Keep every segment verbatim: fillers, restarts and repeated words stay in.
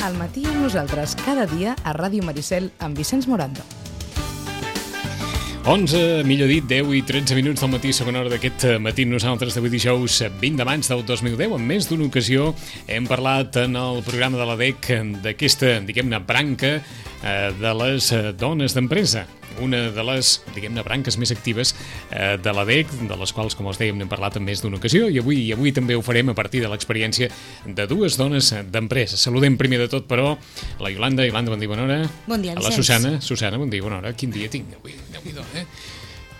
Al matí amb nosaltres, cada dia a Ràdio Maricel amb Vicenç Morando. onze, millor dit, deu i tretze minuts del matí, segona hora d'aquest matí. Nosaltres d'avui dijous vint de maig del dos mil deu, en més d'una ocasió hem parlat en el programa de l'A D E C d'aquesta, diguem-ne, branca eh, de les dones d'empresa. Una de les, diguem-ne, branques més actives eh, de l'A D E C, de les quals, com els dèiem, n'hem parlat en més d'una ocasió, i avui i avui també ho farem a partir de l'experiència de dues dones d'empresa. Saludem primer de tot, però, la Iolanda. Iolanda, bon dia, bona hora. Bon dia, Vicenç. A la Susana. Susana, bon dia, bona hora. Quin dia tinc avui? Déu-n'hi-do, eh?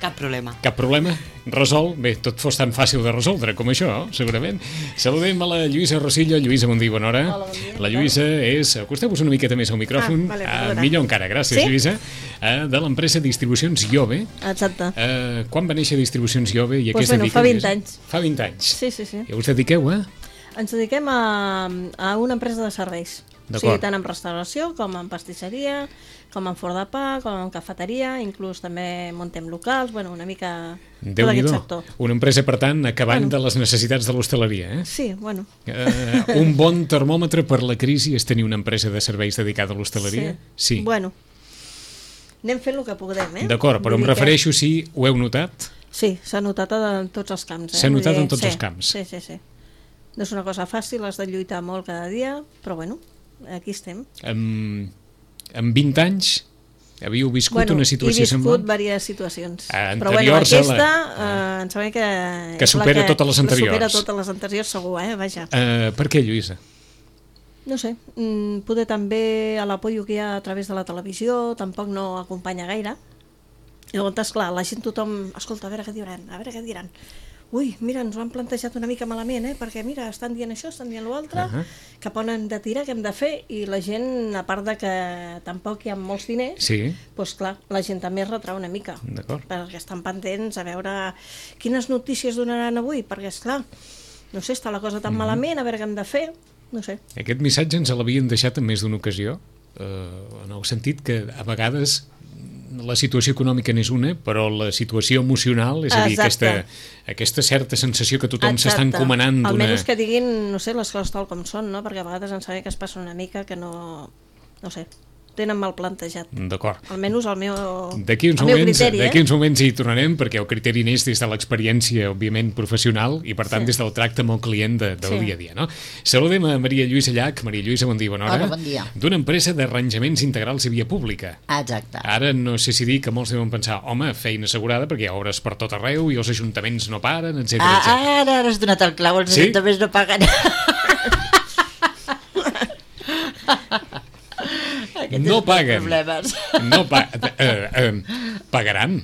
Cap problema. Cap problema? Resol? Bé, tot fos tan fàcil de resoldre com això, segurament. Saludem a la Lluïsa Rosillo. Lluïsa, bon dia, bona hora. Hola, bon dia. La Lluïsa és... Acosteu-vos una miqueta més al micròfon. Ah, vale, uh, millor encara, gràcies, sí? Lluïsa. Uh, de l'empresa Distribucions Iove. Exacte. Uh, quan va néixer Distribucions Iove? I Pues què es bueno, dedica, fa vint Lluïsa? anys. Fa vint anys. Sí, sí, sí. I us dediqueu a? Ens dediquem a, a una empresa de serveis. O sigui, tant en restauració, com en pastisseria, com en forn de pa, com en cafeteria, inclús també muntem locals, bueno, una mica tot aquest sector. Una empresa, per tant, acabant Bueno. de les necessitats de l'hostaleria, eh? Sí, bueno. Uh, un bon termòmetre per la crisi és tenir una empresa de serveis dedicada a l'hostaleria? Sí. Bueno, anem fent el que podem, eh? D'acord, però Vull em dir que- refereixo si ho heu notat. Sí, s'ha notat en tots els camps. Eh? S'ha Vull notat dir, en tots sí, els camps. Sí, sí, sí. No és una cosa fàcil, has de lluitar molt cada dia, però bueno, aquí estem. En, en vint anys havíeu viscut Bueno, una situació he viscut semblant? diverses situacions. Ah, però bueno, anteriors a la- aquesta eh, em sembla que... Que és la supera totes les anteriors. Supera totes les anteriors, segur, eh? Vaja. Uh, per què, Lluïsa? No sé, mm, poder també a l'apoyo que hi ha a través de la televisió tampoc no acompanya gaire. Llavors, esclar, la gent, tothom... Escolta, a veure què diran, a veure què diran. Ui, mira, ens ho han plantejat una mica malament, eh? Perquè, mira, estan dient això, estan dient l'altre, Uh-huh. cap on hem de tirar, què hem de fer, i la gent, a part de que tampoc hi ha molts diners, Sí, doncs clar, la gent també es retrau una mica, d'acord. perquè estan pendents a veure quines notícies donaran avui, perquè, esclar, no sé, està la cosa tan malament, a veure què hem de fer, no sé. Aquest missatge ens l'havien deixat en més d'una ocasió, uh, en el sentit que a vegades la situació econòmica n'és una, però la situació emocional, és a dir, Exacte. aquesta, aquesta certa sensació que tothom s'està Exacte. encomanant d'una... Almenys que diguin, no sé, les coses tal com són, no? Perquè a vegades em sembla que es passa una mica que no... No sé, tenen mal plantejat. D'acord. Almenys el meu, D'aquí uns, el meu moments, criteri, d'aquí eh? uns moments hi tornarem, perquè el criteri neix des de l'experiència, òbviament, professional, i per tant Sí. des del tracte amb el client de, del Sí. dia a dia. No? Saludem a Maria Lluïsa Llach. Maria Lluïsa, bon dia, bona hora. Hola, bon dia. D'una empresa d'arranjaments integrals i via pública. Exacte. Ara no sé si dir que molts deuen pensar, home, feina assegurada perquè hi ha obres per tot arreu i els ajuntaments no paren, etcètera, Ah, etcètera. ara has donat el clau, els Sí? ajuntaments no paguen. Aquest No és paguen. Problemes. No pa eh, eh, pagaran.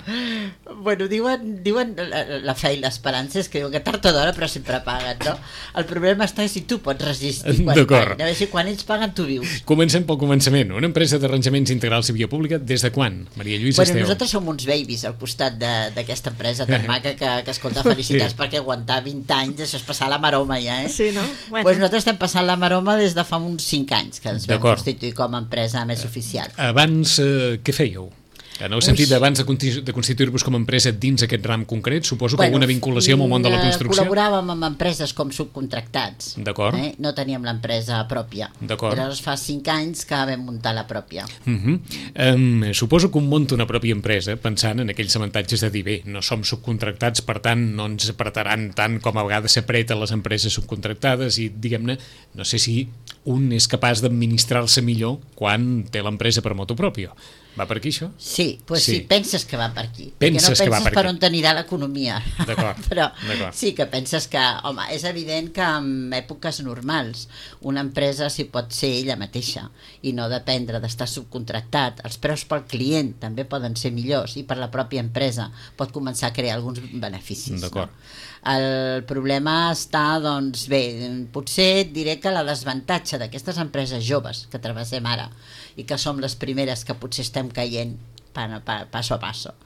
Bueno, diuen, diuen la, la fe i l'esperança és que diuen que tard o d'hora però sempre paguen, no? El problema està si tu pots resistir quan D'acord. paguen. A veure si quan ells paguen tu vius. Comencem pel començament. Una empresa d'arranjaments integrals i via pública, des de quan? Maria Lluïsa, Bueno, esteu? nosaltres som uns babies al costat de- d'aquesta empresa tan maca que, que escolta, felicitats Sí. perquè aguantar vint anys, això és passar la maroma ja, eh? Sí, no? Bueno. Pues nosaltres estem passant la maroma des de fa uns cinc anys que ens vam D'acord. constituir com a empresa més oficial. Abans, eh, què fèieu? En el sentit d'abans de, conti- de constituir-vos com a empresa dins aquest ram concret, suposo que Bueno, alguna vinculació amb el món de la eh, construcció? Col·laboràvem amb empreses com subcontractats. D'acord. Eh? No teníem l'empresa pròpia. D'acord. Llavors fa cinc anys que vam muntar la pròpia. Uh -huh. um, suposo que un munta una pròpia empresa pensant en aquells avantatges de dir, bé, no som subcontractats, per tant no ens apretaran tant com a vegades s'apreta les empreses subcontractades i, diguem-ne, no sé si un és capaç d'administrar-se millor quan té l'empresa per motu propio. Va per aquí, això? Sí, pues Sí. sí. sí, penses que va per aquí. Penses perquè no que va penses per per aquí. on t'anirà l'economia. D'acord, Però d'acord. sí que penses que, home, és evident que en èpoques normals una empresa s'hi pot ser ella mateixa i no dependre d'estar subcontractat. Els preus pel client també poden ser millors i per la pròpia empresa pot començar a crear alguns beneficis. D'acord. No? El problema està, doncs, bé, potser et diré que la desavantatge d'aquestes empreses joves que travessem ara i que som les primeres que potser estem caient pa, pa, passo a passo.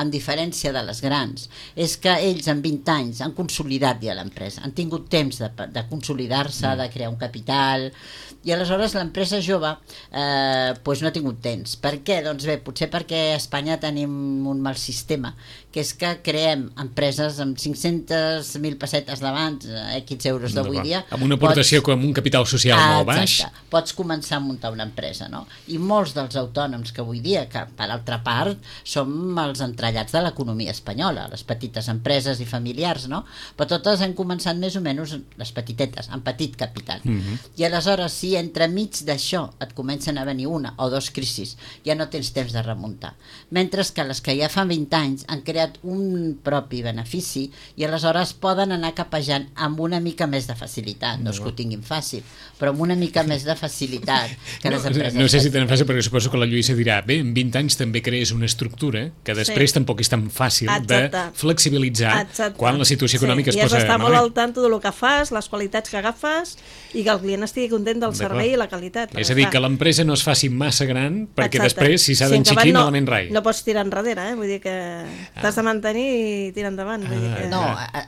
En diferència de les grans, és que ells en vint anys han consolidat ja l'empresa, han tingut temps de, de consolidar-se, mm. de crear un capital, i aleshores l'empresa jove eh, pues no ha tingut temps. Per què? Doncs bé, potser perquè a Espanya tenim un mal sistema, que és que creem empreses amb cinc-centes mil pessetes d'abans, X euros d'avui dia. Amb una aportació pots... com un capital social ah, molt baix. Exacte. Pots començar a muntar una empresa, no? I molts dels autònoms que avui dia, que per altra part som els entrellats de l'economia espanyola, les petites empreses i familiars, no? Però totes han començat més o menys, les petitetes, amb petit capital. Mm-hmm. I aleshores, si entremig d'això et comencen a venir una o dos crisis, ja no tens temps de remuntar. Mentre que les que ja fa vint anys han creat un propi benefici i aleshores poden anar capejant amb una mica més de facilitat. No, no és que ho tinguin fàcil, però amb una mica més de facilitat que no, les empreses. No sé si tenen fàcil, perquè suposo que la Lluïsa dirà, bé, en vint anys també crees una estructura que després sí. tampoc és tan fàcil Exacte. de flexibilitzar Exacte. quan la situació econòmica sí. es posa malament. I has d'estar molt malament. al tanto del que fas, les qualitats que agafes i que el client estigui content del servei i la qualitat. És a dir, que l'empresa no es faci massa gran perquè Exacte. després, si s'ha sí, d'enxiquir, no, malament rai. No pots tirar enrere, eh? Vull dir que t'has de mantenir i tirar endavant. Vull dir que... No,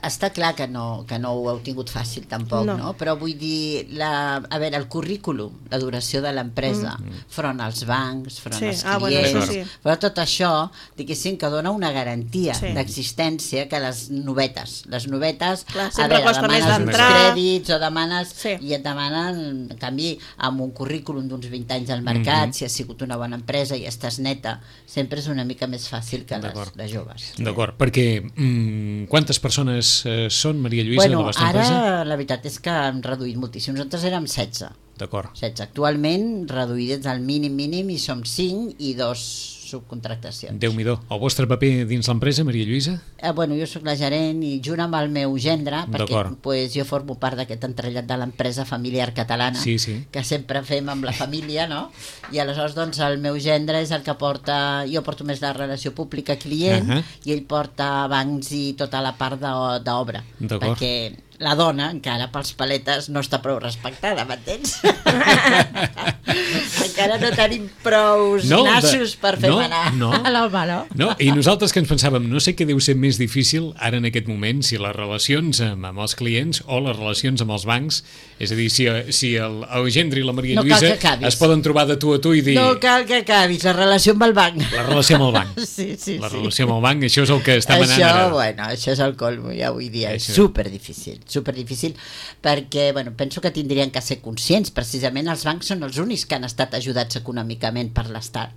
està clar que no, que no ho heu tingut fàcil tampoc, no? no? Però vull dir, la, a veure, el currículum, la duració de l'empresa, mm. front als bancs, front sí. als ah, clients, bueno, sí. però tot això, diguéssim, que dona una garantia sí. d'existència que les novetes. Les novetes, clar, a veure, demanes uns crèdits o demanes, sí. i et demanen, en canvi, amb un currículum d'uns vint anys al mercat, mm-hmm. si ha sigut una bona empresa i estàs neta, sempre és una mica més fàcil que les de joves. D'acord, perquè mm, quantes persones eh, són, Maria Lluïsa, bueno, de la vostra ara, empresa? Ara la veritat és que hem reduït moltíssim. Nosaltres érem setze. D'acord. setze. Actualment, reduïts al mínim mínim, i som cinc i dos subcontractacions. Déu-n'hi-do. El vostre paper dins l'empresa, Maria Lluïsa? Eh, bueno, jo sóc la gerent i junt amb el meu gendre, perquè pues, jo formo part d'aquest entrellat de l'empresa familiar catalana, sí, sí. que sempre fem amb la família, no? I aleshores, doncs, el meu gendre és el que porta... Jo porto més la relació pública-client uh -huh. i ell porta bancs i tota la part d'obra. Perquè la dona, encara pels paletes, no està prou respectada, m'entens? Encara no tenim prous no, nassos de... per fer no, manar no. a l'home, no? no? I nosaltres que ens pensàvem, no sé què deu ser més difícil ara en aquest moment, si les relacions amb, amb els clients o les relacions amb els bancs, és a dir, si, si el, el gendre i la Maria no Lluïsa es poden trobar de tu a tu i dir... No cal que acabis, la relació amb el banc. La relació amb el banc. Sí, sí, la sí. relació amb el banc, això és el que està manant això, ara. Bueno, això és el colmo, ja avui dia, això. És superdifícil, superdifícil, perquè, bueno, penso que tindrien que ser conscients, precisament els bancs són els únics que han estat ajudats econòmicament per l'Estat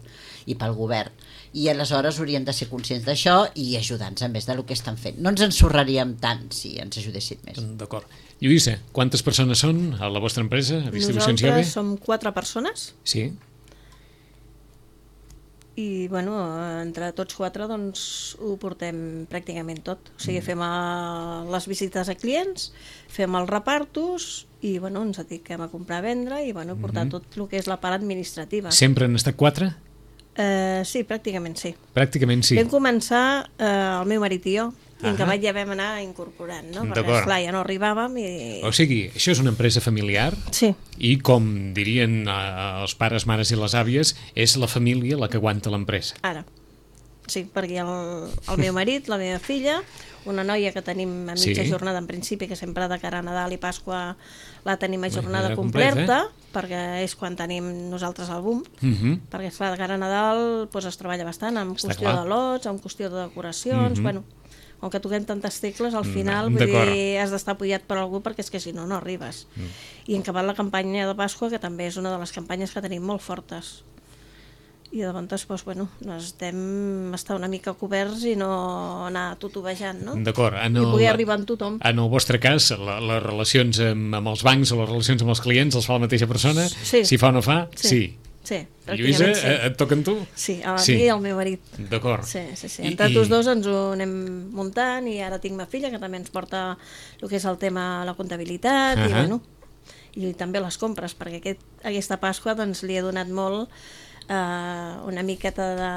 i pel govern, i aleshores haurien de ser conscients d'això i ajudar-nos a més del que estan fent. No ens ensorraríem tant si ens ajudessin més. D'acord. Lluïsa, quantes persones són a la vostra empresa, a Distribucions Llobe? Nosaltres som quatre persones. Sí. I, bueno, entre tots quatre, doncs, ho portem pràcticament tot. O sigui, fem a les visites a clients, fem els repartos i, bueno, ens dediquem a comprar, a vendre i, bueno, portar mm-hmm. tot el que és la part administrativa. Sempre han estat quatre? Uh, sí, pràcticament sí. Pràcticament sí. Vam començar uh, el meu marit i jo, i en acabat ja vam anar incorporant, no? Perquè, esclar, ja no arribàvem i... O sigui, això és una empresa familiar sí. i, com dirien eh, els pares, mares i les àvies, és la família la que aguanta l'empresa. Ara, sí, perquè el, el meu marit, la meva filla, una noia que tenim a mitja sí. jornada en principi, que sempre de cara a Nadal i Pasqua la tenim a jornada completa, completa, perquè és quan tenim nosaltres el boom, uh -huh. perquè esclar, de cara a Nadal doncs, es treballa bastant amb Està qüestió clar. de lots, amb qüestió de decoracions, uh -huh. bueno, com que toquem tantes tecles, al final vull dir, has d'estar apoyat per algú perquè és que si no, no arribes. Mm. I en acabat la campanya de Pasqua, que també és una de les campanyes que tenim molt fortes. I de llavors, doncs, bueno, necessitem estar una mica coberts i no anar tutubejant, no? D'acord. I poder arribar amb tothom. En el vostre cas, la, les relacions amb, amb els bancs o les relacions amb els clients els fa la mateixa persona? Sí. Si fa o no fa? Sí. sí. Sí, Lluïsa, sí. et toquen tu? Sí, a sí. mi i al meu marit. D'acord. Sí, sí, sí. Entre I, tots dos ens ho anem muntant i ara tinc ma filla que també ens porta el que és el tema la comptabilitat uh -huh. i, bueno, i també les compres, perquè aquest, aquesta Pasqua doncs, li he donat molt Uh, una miqueta de,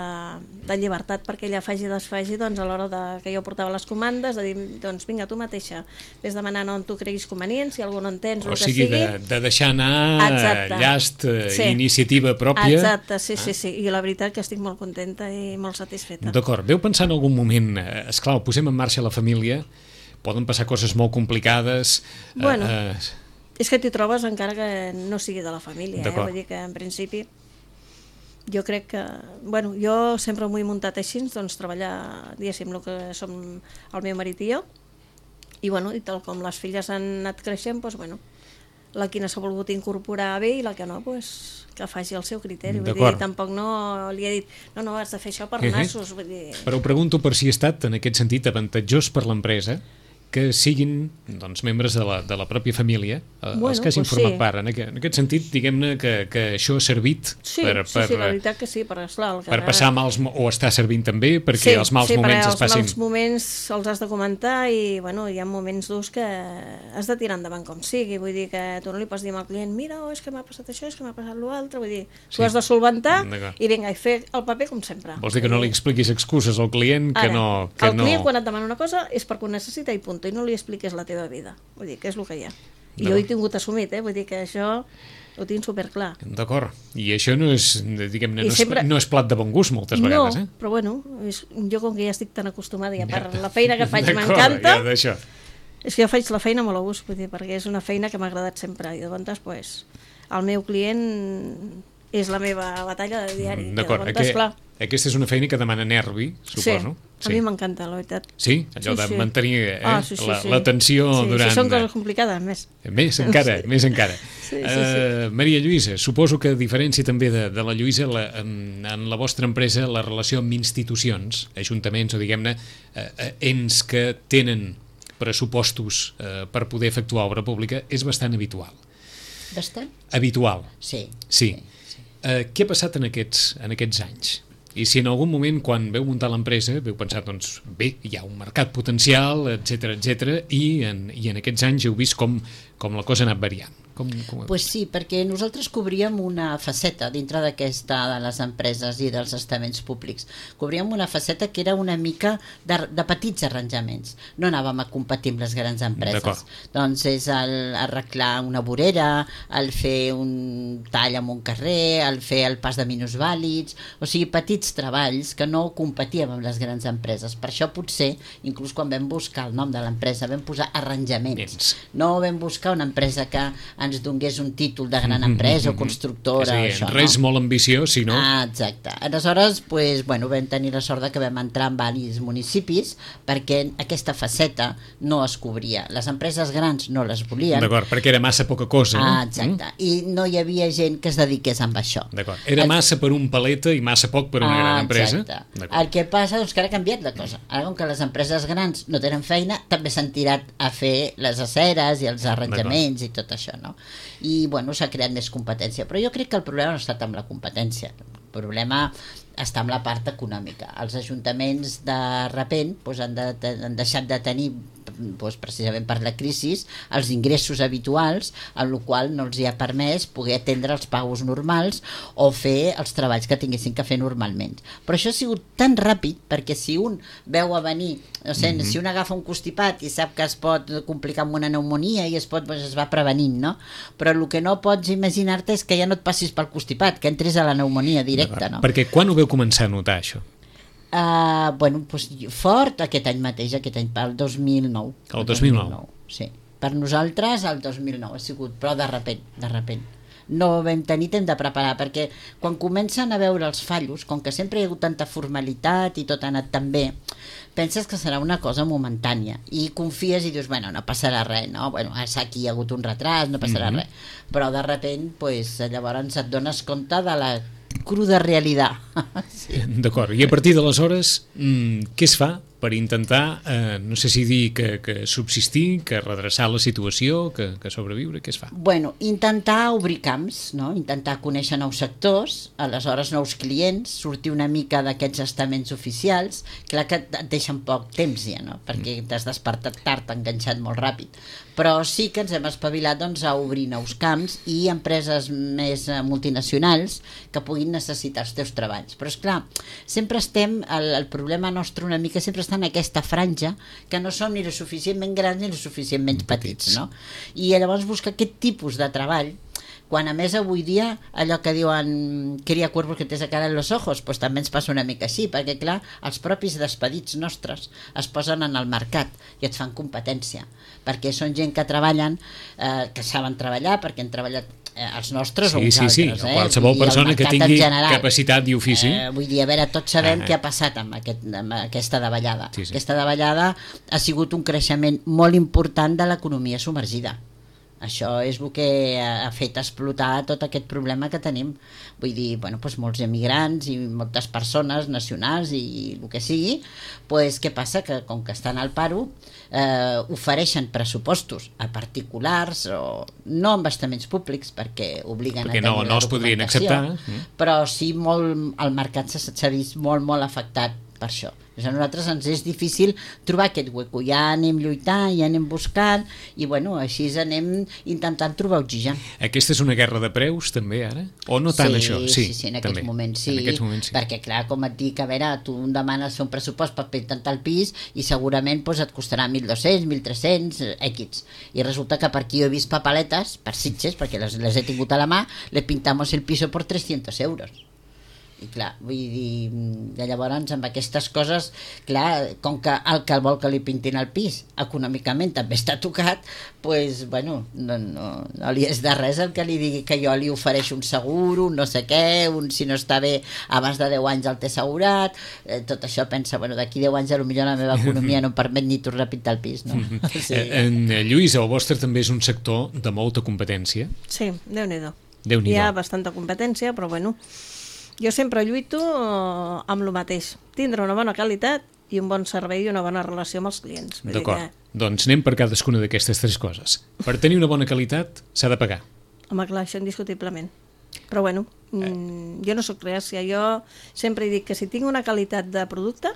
de llibertat perquè ella faci i desfaci, doncs a l'hora de, que jo portava les comandes, de dir, doncs vinga, tu mateixa, vés demanant on tu creguis convenient, si algú no entens, o el que sigui, sigui. De, de deixar anar Exacte. llast, Sí. iniciativa pròpia. Exacte, sí, sí, sí, i la veritat que estic molt contenta i molt satisfeta. D'acord, veu pensar en algun moment, eh, esclar, posem en marxa la família, poden passar coses molt complicades. Bueno, eh, eh, és que t'hi trobes encara que no sigui de la família, eh? Vull dir que en principi jo crec que, bueno, jo sempre m'ho he muntat així, doncs treballar, diguéssim, el que som el meu marit i jo, i bueno, i tal com les filles han anat creixent, doncs bueno, la quina s'ha volgut incorporar bé i la que no, doncs que faci el seu criteri, vull dir, tampoc no li he dit, no, no, has de fer això per nassos, vull dir... Però ho pregunto per si ha estat, en aquest sentit, avantatjós per l'empresa que siguin doncs, membres de la, de la pròpia família, bueno, els que hagin pues format sí. part. En aquest, en aquest sentit, diguem-ne que, que això ha servit sí, per, sí, per, sí, la veritat que sí, per, esclar, el que per passar mals, o està servint també perquè sí, els mals sí, moments es passin. Sí, passin. els mals moments els has de comentar i bueno, hi ha moments durs que has de tirar endavant com sigui, vull dir que tu no li pots dir al client, mira, oh, és que m'ha passat això, és que m'ha passat l'altre, vull dir, sí. Tu has de solventar i vinga, i fer el paper com sempre. Vols dir que no li expliquis excuses al client que Ara, no... Que el client no... quan et demana una cosa és perquè ho necessita i punt, i no li expliques la teva vida, vull dir, que és el que hi ha. I no. Jo he tingut assumit, eh? Vull dir que això ho tinc superclar. D'acord, i això no és, diguem-ne, no, sempre... no és plat de bon gust moltes vegades, eh? No, però bueno, és, jo com que ja estic tan acostumada i a part la feina que faig m'encanta, ja és que jo faig la feina molt a gust, vull dir, perquè és una feina que m'ha agradat sempre, i llavors, pues, el meu client és la meva batalla de diari. D'acord, Aqu aquesta és una feina que demana nervi, suposo. Sí, a mi m'encanta, la veritat. Sí? Allò sí, de mantenir eh, ah, sí, sí, sí. l'atenció sí, durant... Sí, són coses complicades, més. Més encara, sí. més encara. Sí, sí, sí. Uh, Maria Lluïsa, suposo que a diferència també de, de la Lluïsa, la, en, en la vostra empresa, la relació amb institucions, ajuntaments o, diguem-ne, uh, ens que tenen pressupostos uh, per poder efectuar obra pública és bastant habitual. Bastant? Habitual. Sí. Sí. sí, sí. Uh, què ha passat en aquests, en aquests anys? I si en algun moment, quan veu muntar l'empresa, veu pensar, doncs, bé, hi ha un mercat potencial, etcètera, etcètera, i en, i en aquests anys heu vist com, com la cosa ha anat variant. Com, com... Pues sí, perquè nosaltres cobríem una faceta dintre d'aquesta de les empreses i dels estaments públics. Cobríem una faceta que era una mica de, de petits arranjaments. No anàvem a competir amb les grans empreses. Doncs és el arreglar una vorera, el fer un tall en un carrer, el fer el pas de minusvàlids, o sigui, petits treballs que no competíem amb les grans empreses. Per això potser, inclús quan vam buscar el nom de l'empresa, vam posar arranjaments. Dins. No vam buscar una empresa que ens donés un títol de gran empresa mm -hmm. o constructora. Sí, això, res no? molt ambiciós, si no... Ah, exacte. Aleshores, pues, bueno, vam tenir la sort de que vam entrar en diversos municipis perquè aquesta faceta no es cobria. Les empreses grans no les volien. D'acord, perquè era massa poca cosa. Ah, exacte. Mm? I no hi havia gent que es dediqués a això. D'acord. Era el... massa per un paleta i massa poc per una ah, gran empresa. Exacte. El que passa doncs, que ara ha canviat la cosa. Ara, com que les empreses grans no tenen feina, també s'han tirat a fer les aceres i els arranjaments i tot això, no? I, bueno, s'ha creat més competència. Però jo crec que el problema no ha estat amb la competència. El problema està amb la part econòmica. Els ajuntaments, de repent, doncs, han, de, han deixat de tenir, doncs, precisament per la crisi, els ingressos habituals, amb la qual no els hi ha permès poder atendre els pagos normals o fer els treballs que tinguessin que fer normalment. Però això ha sigut tan ràpid, perquè si un veu a venir, no sé, mm-hmm. si un agafa un constipat i sap que es pot complicar amb una pneumonia i es pot, doncs es va prevenint, no? Però el que no pots imaginar-te és que ja no et passis pel constipat, que entris a la pneumonia directa, no? Perquè quan ho veu començar a notar, això? Uh, bueno, doncs, fort aquest any mateix, aquest any, el dos mil nou. El dos mil nou? Sí. Per nosaltres, el dos mil nou ha sigut, però de repent, de repent. No vam tenir temps de preparar, perquè quan comencen a veure els fallos, com que sempre hi ha hagut tanta formalitat i tot ha anat tan bé, penses que serà una cosa momentània i confies i dius, bueno, no passarà res, no? Bueno, aquí hi ha hagut un retras, no passarà mm-hmm. res. Però de repent, pues, llavors et dones compte de la cruda realitat. Sí. D'acord, i a partir d'aleshores, mmm, què es fa per intentar, eh, no sé si dir que, que subsistir, que redreçar la situació, que, que sobreviure, què es fa? Bueno, intentar obrir camps, no? Intentar conèixer nous sectors, aleshores nous clients, sortir una mica d'aquests estaments oficials, clar que et deixen poc temps ja, no? Perquè t'has despertat tard, t'ha enganxat molt ràpid, però sí que ens hem espavilat doncs, a obrir nous camps i empreses més multinacionals que puguin necessitar els teus treballs. Però és clar, sempre estem, el, el problema nostre una mica sempre està en aquesta franja que no som ni lo suficientment grans ni lo suficientment petits, no? I llavors buscar aquest tipus de treball, quan a més avui dia allò que diuen cria cuervos que te sacaran los ojos, pues també ens passa una mica així, perquè clar, els propis despedits nostres es posen en el mercat i et fan competència, perquè són gent que treballen, eh, que saben treballar, perquè han treballat eh, els nostres sí, o uns sí, sí. altres. Eh? Qualsevol persona que tingui capacitat i ofici. Eh, vull dir, a veure, tots sabem ah, què ha passat amb, aquest, amb aquesta davallada. Sí, sí. Aquesta davallada ha sigut un creixement molt important de l'economia submergida. Això és el que ha fet explotar tot aquest problema que tenim. Vull dir, bueno, doncs molts emigrants i moltes persones nacionals i el que sigui, doncs què passa? Que com que estan al paro, eh, ofereixen pressupostos a particulars o no amb estaments públics perquè obliguen perquè a tenir no, no la els podrien documentació, acceptar. però sí molt, el mercat s'ha vist molt, molt afectat per això. A nosaltres ens és difícil trobar aquest hueco, ja anem lluitant, ja anem buscant i bueno, així anem intentant trobar oxigen. Aquesta és una guerra de preus també ara? O no tant sí, això? Sí, sí, sí, en aquests també. moments sí, en aquests moments sí, perquè clar, com et dic, a veure, tu em demanes fer un pressupost per pintar el pis i segurament doncs, et costarà mil dos-cents, mil tres-cents, X. I resulta que per aquí he vist papaletes, per Sitges, perquè les, les he tingut a la mà, le pintamos el piso por trescientos euros. I clar, vull dir, de llavors amb aquestes coses, clar, com que el que vol que li pintin el pis econòmicament també està tocat, doncs, bueno, no, no, no li és de res el que li digui que jo li ofereixo un segur, un no sé què, un si no està bé abans de deu anys el té assegurat, eh, tot això pensa, bueno, d'aquí deu anys potser la meva economia no em permet ni tornar a pintar el pis, no? Sí. En Lluís, el vostre també és un sector de molta competència. Sí, Déu-n'hi-do. Déu-n'hi-do. Hi ha bastanta competència, però bueno, jo sempre lluito amb el mateix, tindre una bona qualitat i un bon servei i una bona relació amb els clients. D'acord, que... doncs anem per cadascuna d'aquestes tres coses. Per tenir una bona qualitat s'ha de pagar. Home, clar, això indiscutiblement. Però bueno, eh. jo no sóc reàcia, jo sempre dic que si tinc una qualitat de producte,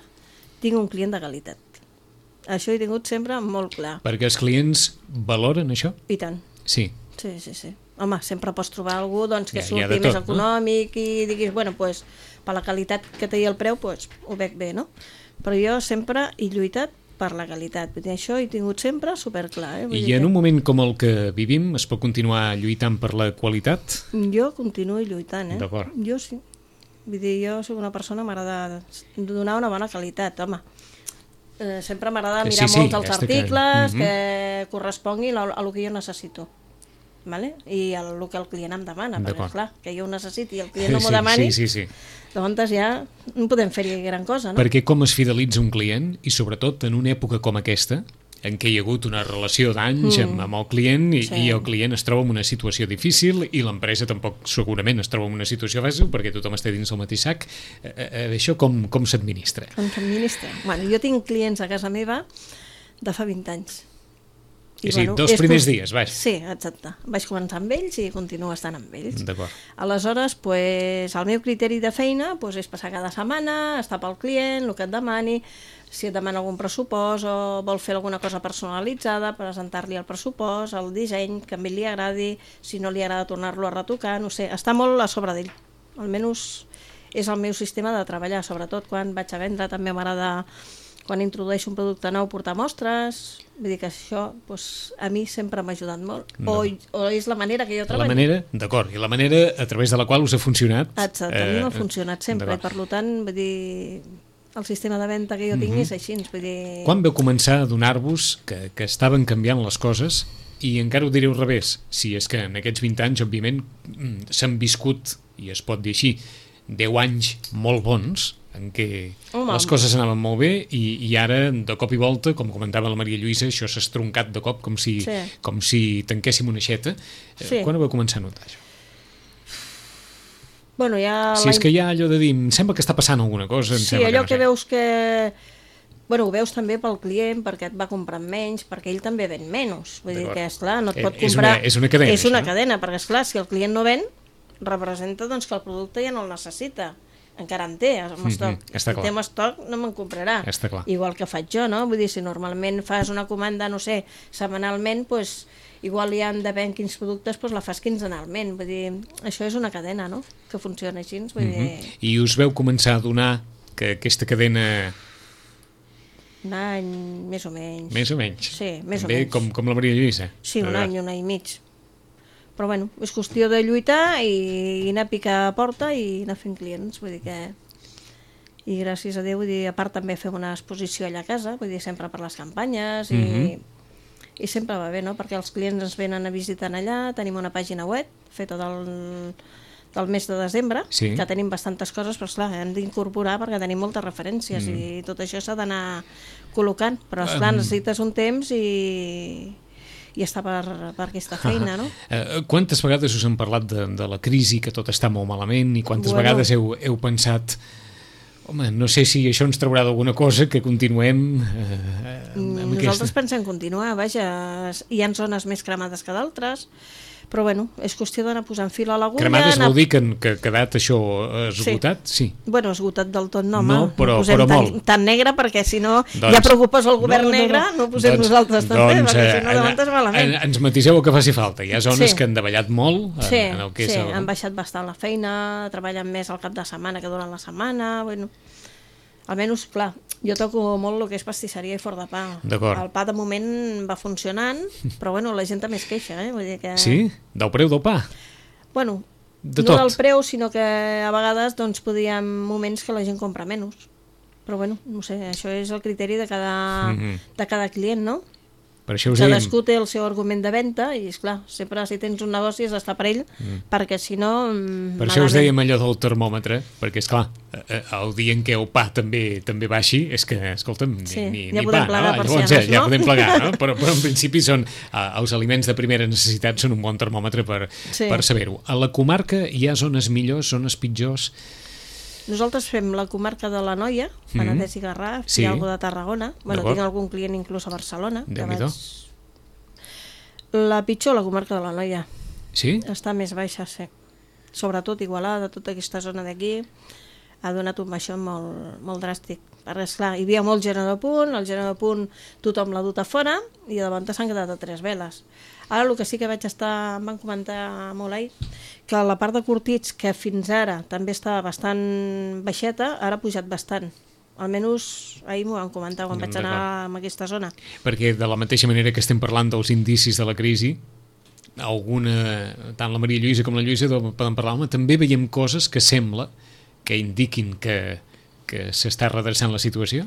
tinc un client de qualitat. Això he tingut sempre molt clar. Perquè els clients valoren això? I tant. Sí. Sí, sí, sí. Home, sempre pots trobar algú doncs, que ja, surti tot, més econòmic, no? I diguis, bueno, pues, per la qualitat que té el preu, pues, ho veig bé, no? Però jo sempre he lluitat per la qualitat. Vull dir, això he tingut sempre superclar. Eh? Vull I dir en que... un moment com el que vivim es pot continuar lluitant per la qualitat? Jo continuo lluitant, eh? D'acord. Jo sí. Vull dir, jo soc una persona, m'agrada donar una bona qualitat, home. Eh, sempre m'agrada mirar sí, sí, molt els ja articles que... que mm-hmm. corresponguin a, a el que jo necessito. Vale? I el, el que el client em demana, perquè clar, que jo ho necessiti i el client no m'ho demani, sí, sí, sí. doncs ja no podem fer-hi gran cosa, no? Perquè com es fidelitza un client, i sobretot en una època com aquesta, en què hi ha hagut una relació d'anys mm. amb, amb el client i, sí. i el client es troba en una situació difícil i l'empresa tampoc segurament es troba en una situació fàcil perquè tothom està dins el mateix sac, eh, eh, això com, com s'administra? Com s'administra? Bueno, jo tinc clients a casa meva de fa vint anys. I, sí, bueno, dels primers com... dies, vaig. Sí, exacte. Vaig començar amb ells i continuo estant amb ells. D'acord. Aleshores, pues, el meu criteri de feina pues, és passar cada setmana, estar pel client, el que et demani, si et demana algun pressupost o vol fer alguna cosa personalitzada, presentar-li el pressupost, el disseny, que a mi li agradi, si no li agrada tornar-lo a retocar, no sé, està molt a sobre d'ell. Almenys és el meu sistema de treballar, sobretot quan vaig a vendre, també m'agrada... Quan introdueixo un producte nou, portar mostres, vull dir que això doncs, a mi sempre m'ha ajudat molt. No. O, o és la manera que jo treballo. La manera, d'acord, i la manera a través de la qual us ha funcionat. Exacte, eh, a mi m'ha funcionat sempre, i per tant, vull dir, el sistema de venda que jo tinc mm-hmm. és així. Vull dir... Quan vau començar a adonar-vos que, que estaven canviant les coses, i encara ho diré al revés, si és que en aquests vint anys, òbviament, s'han viscut, i es pot dir així, deu anys molt bons, en què Home. les coses anaven molt bé i, i ara, de cop i volta, com comentava la Maria Lluïsa, això s'ha estroncat de cop com si, sí. com si tanquéssim una aixeta. Sí. Quan vau començar a notar això? Bueno, ja si és que hi ha allò de dir, em sembla que està passant alguna cosa. Em sí, allò que, no que sé. veus que Bueno, ho veus també pel client, perquè et va comprant menys, perquè ell també ven menys. Vull dir que, esclar, no et pot és comprar... Una, és una cadena, És una això. cadena, perquè, esclar, si el client no ven, representa doncs, que el producte ja no el necessita. Encara en té, amb estoc. Mm-hmm, està si clar. té amb estoc, no me'n comprarà. Està clar. Igual que faig jo, no? Vull dir, si normalment fas una comanda, no sé, setmanalment, doncs, igual hi han d'haver quins productes, doncs la fas quinzenalment. Vull dir, això és una cadena, no?, que funciona així. Vull dir... Mm-hmm. I us veu començar a donar que aquesta cadena... Un any, més o menys. Més o menys? Sí, més També o menys. com, com la Maria Lluïsa? Sí, un any, un any i mig. Però bueno, és qüestió de lluitar i anar a picar a porta i anar fent clients, vull dir que... I gràcies a Déu, vull dir, a part també fem una exposició allà a casa, vull dir, sempre per les campanyes i... Mm-hmm. I sempre va bé, no?, perquè els clients ens venen a visitar allà, tenim una pàgina web feta del, del mes de desembre, sí. que tenim bastantes coses, però esclar, hem d'incorporar perquè tenim moltes referències mm. i tot això s'ha d'anar col·locant, però esclar, um... necessites un temps i... i està per, per aquesta feina, no? Uh, quantes vegades us han parlat de, de la crisi, que tot està molt malament, i quantes bueno. vegades heu, heu pensat... Home, no sé si això ens traurà d'alguna cosa, que continuem eh, amb Nosaltres aquesta... pensem continuar, vaja, hi ha zones més cremades que d'altres, però bueno, és qüestió d'anar posant fil a l'agulla... Cremades anar... vol dir que, que ha quedat això esgotat? Sí. sí. Bueno, esgotat del tot no, no, home, però, no posem però tan, molt. tan negre, perquè si no doncs, ja preocupes el govern no, no, no. negre, no ho posem doncs, nosaltres també, doncs, perquè si no eh, levantes malament. En, ens matiseu el que faci falta. Hi ha zones Sí. que han davallat molt en, Sí, en el que sí, és el... han baixat bastant la feina, treballen més al cap de setmana que durant la setmana, bueno... Almenys, clar, jo toco molt el que és pastisseria i forn de pa. D'acord. El pa de moment va funcionant, però bueno, la gent també es queixa, eh? Vull dir que... Sí? Del preu del pa? Bueno, De no tot. del preu, sinó que a vegades doncs, podria moments que la gent compra menys. Però bueno, no sé, això és el criteri de cada, Mhm. de cada client, no? Per això us dèiem... Cadascú té el seu argument de venda i, esclar, sempre si tens un negoci has d'estar per ell, mm. perquè si no... Per això us dèiem allò del termòmetre, perquè, esclar, el dia en què el pa també també baixi, és que, escolta'm, ni, Sí, ni, ja ni podem pa, plegar no? persianes, Llavors, ja, ja no? podem plegar, no? Però, però en principi són, eh, els aliments de primera necessitat són un bon termòmetre per, Sí. per saber-ho. A la comarca hi ha zones millors, zones pitjors... Nosaltres fem la comarca de la Noia, Penedès i Garraf, Sí. hi ha algú de Tarragona, bueno, D'acord. tinc algun client inclús a Barcelona. que Déu-n'hi-do. La pitjor, la comarca de la Noia. Sí? Està més baixa, sí. Sobretot Igualada, tota aquesta zona d'aquí, ha donat un baixó molt, molt dràstic. Perquè, esclar, hi havia molt gent a punt, el gent a punt tothom l'ha dut a fora, i de davant s'han quedat a tres veles. Ara el que sí que vaig estar, em van comentar molt ahir, que la part de curtits, que fins ara també estava bastant baixeta, ara ha pujat bastant. Almenys ahir m'ho van comentar quan vaig anar a aquesta zona. Perquè de la mateixa manera que estem parlant dels indicis de la crisi, alguna, tant la Maria Lluïsa com la Lluïsa poden parlar, home, també veiem coses que sembla que indiquin que, que s'està redreçant la situació?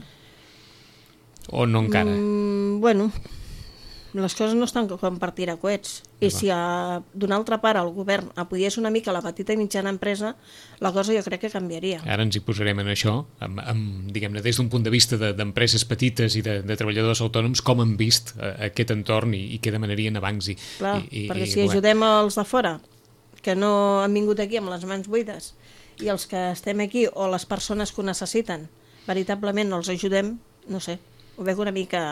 O no encara? Mm, bueno, les coses no estan com per tirar coets. I si d'una altra part el govern apoyés una mica la petita i mitjana empresa, la cosa jo crec que canviaria. Ara ens hi posarem en això, amb, amb, diguem-ne, des d'un punt de vista de- d'empreses petites i de, de treballadors autònoms, com han vist eh, aquest entorn i, i què demanarien a bancs. I, Clar, i, i, perquè i, si bueno, ajudem els de fora, que no han vingut aquí amb les mans buides, i els que estem aquí, o les persones que ho necessiten, veritablement els ajudem, no sé, ho veig una mica...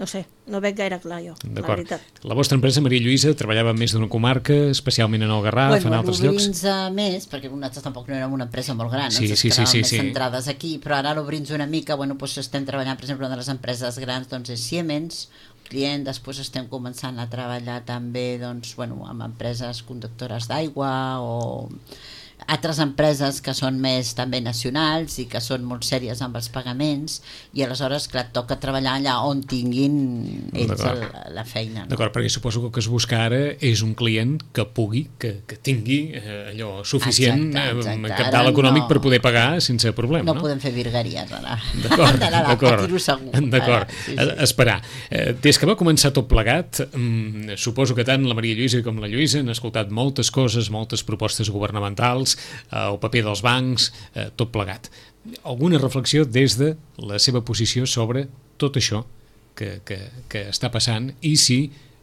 No sé, no veig gaire clar jo, la D'acord. veritat. La vostra empresa, Maria Lluïsa, treballava en més d'una comarca, especialment en el Garraf, bueno, en altres llocs? l'obrint més, perquè nosaltres tampoc no érem una empresa molt gran, Sí, ens sí, sí, quedàvem sí, més sí. centrades aquí, però ara l'obrint una mica, bueno, doncs estem treballant, per exemple, una de les empreses grans doncs, és Siemens, client, després estem començant a treballar també doncs, bueno, amb empreses conductores d'aigua o altres empreses que són més també nacionals i que són molt sèries amb els pagaments, i aleshores, clar, et toca treballar allà on tinguin ells el, la feina. No? D'acord, perquè suposo que el que es busca ara és un client que pugui, que, que tingui eh, allò suficient, Exacte, exacte. eh, capital Ara econòmic no- per poder pagar sense problema, No no? podem fer virgueries ara. D'acord, Ara, d'acord. aquí ho segur. D'acord, Ara, sí, A- sí. esperar. Eh, Des que va començar tot plegat, mm, suposo que tant la Maria Lluïsa com la Lluïsa han escoltat moltes coses, moltes propostes governamentals, eh, el paper dels bancs, eh, tot plegat. Alguna reflexió des de la seva posició sobre tot això que, que, que està passant, i si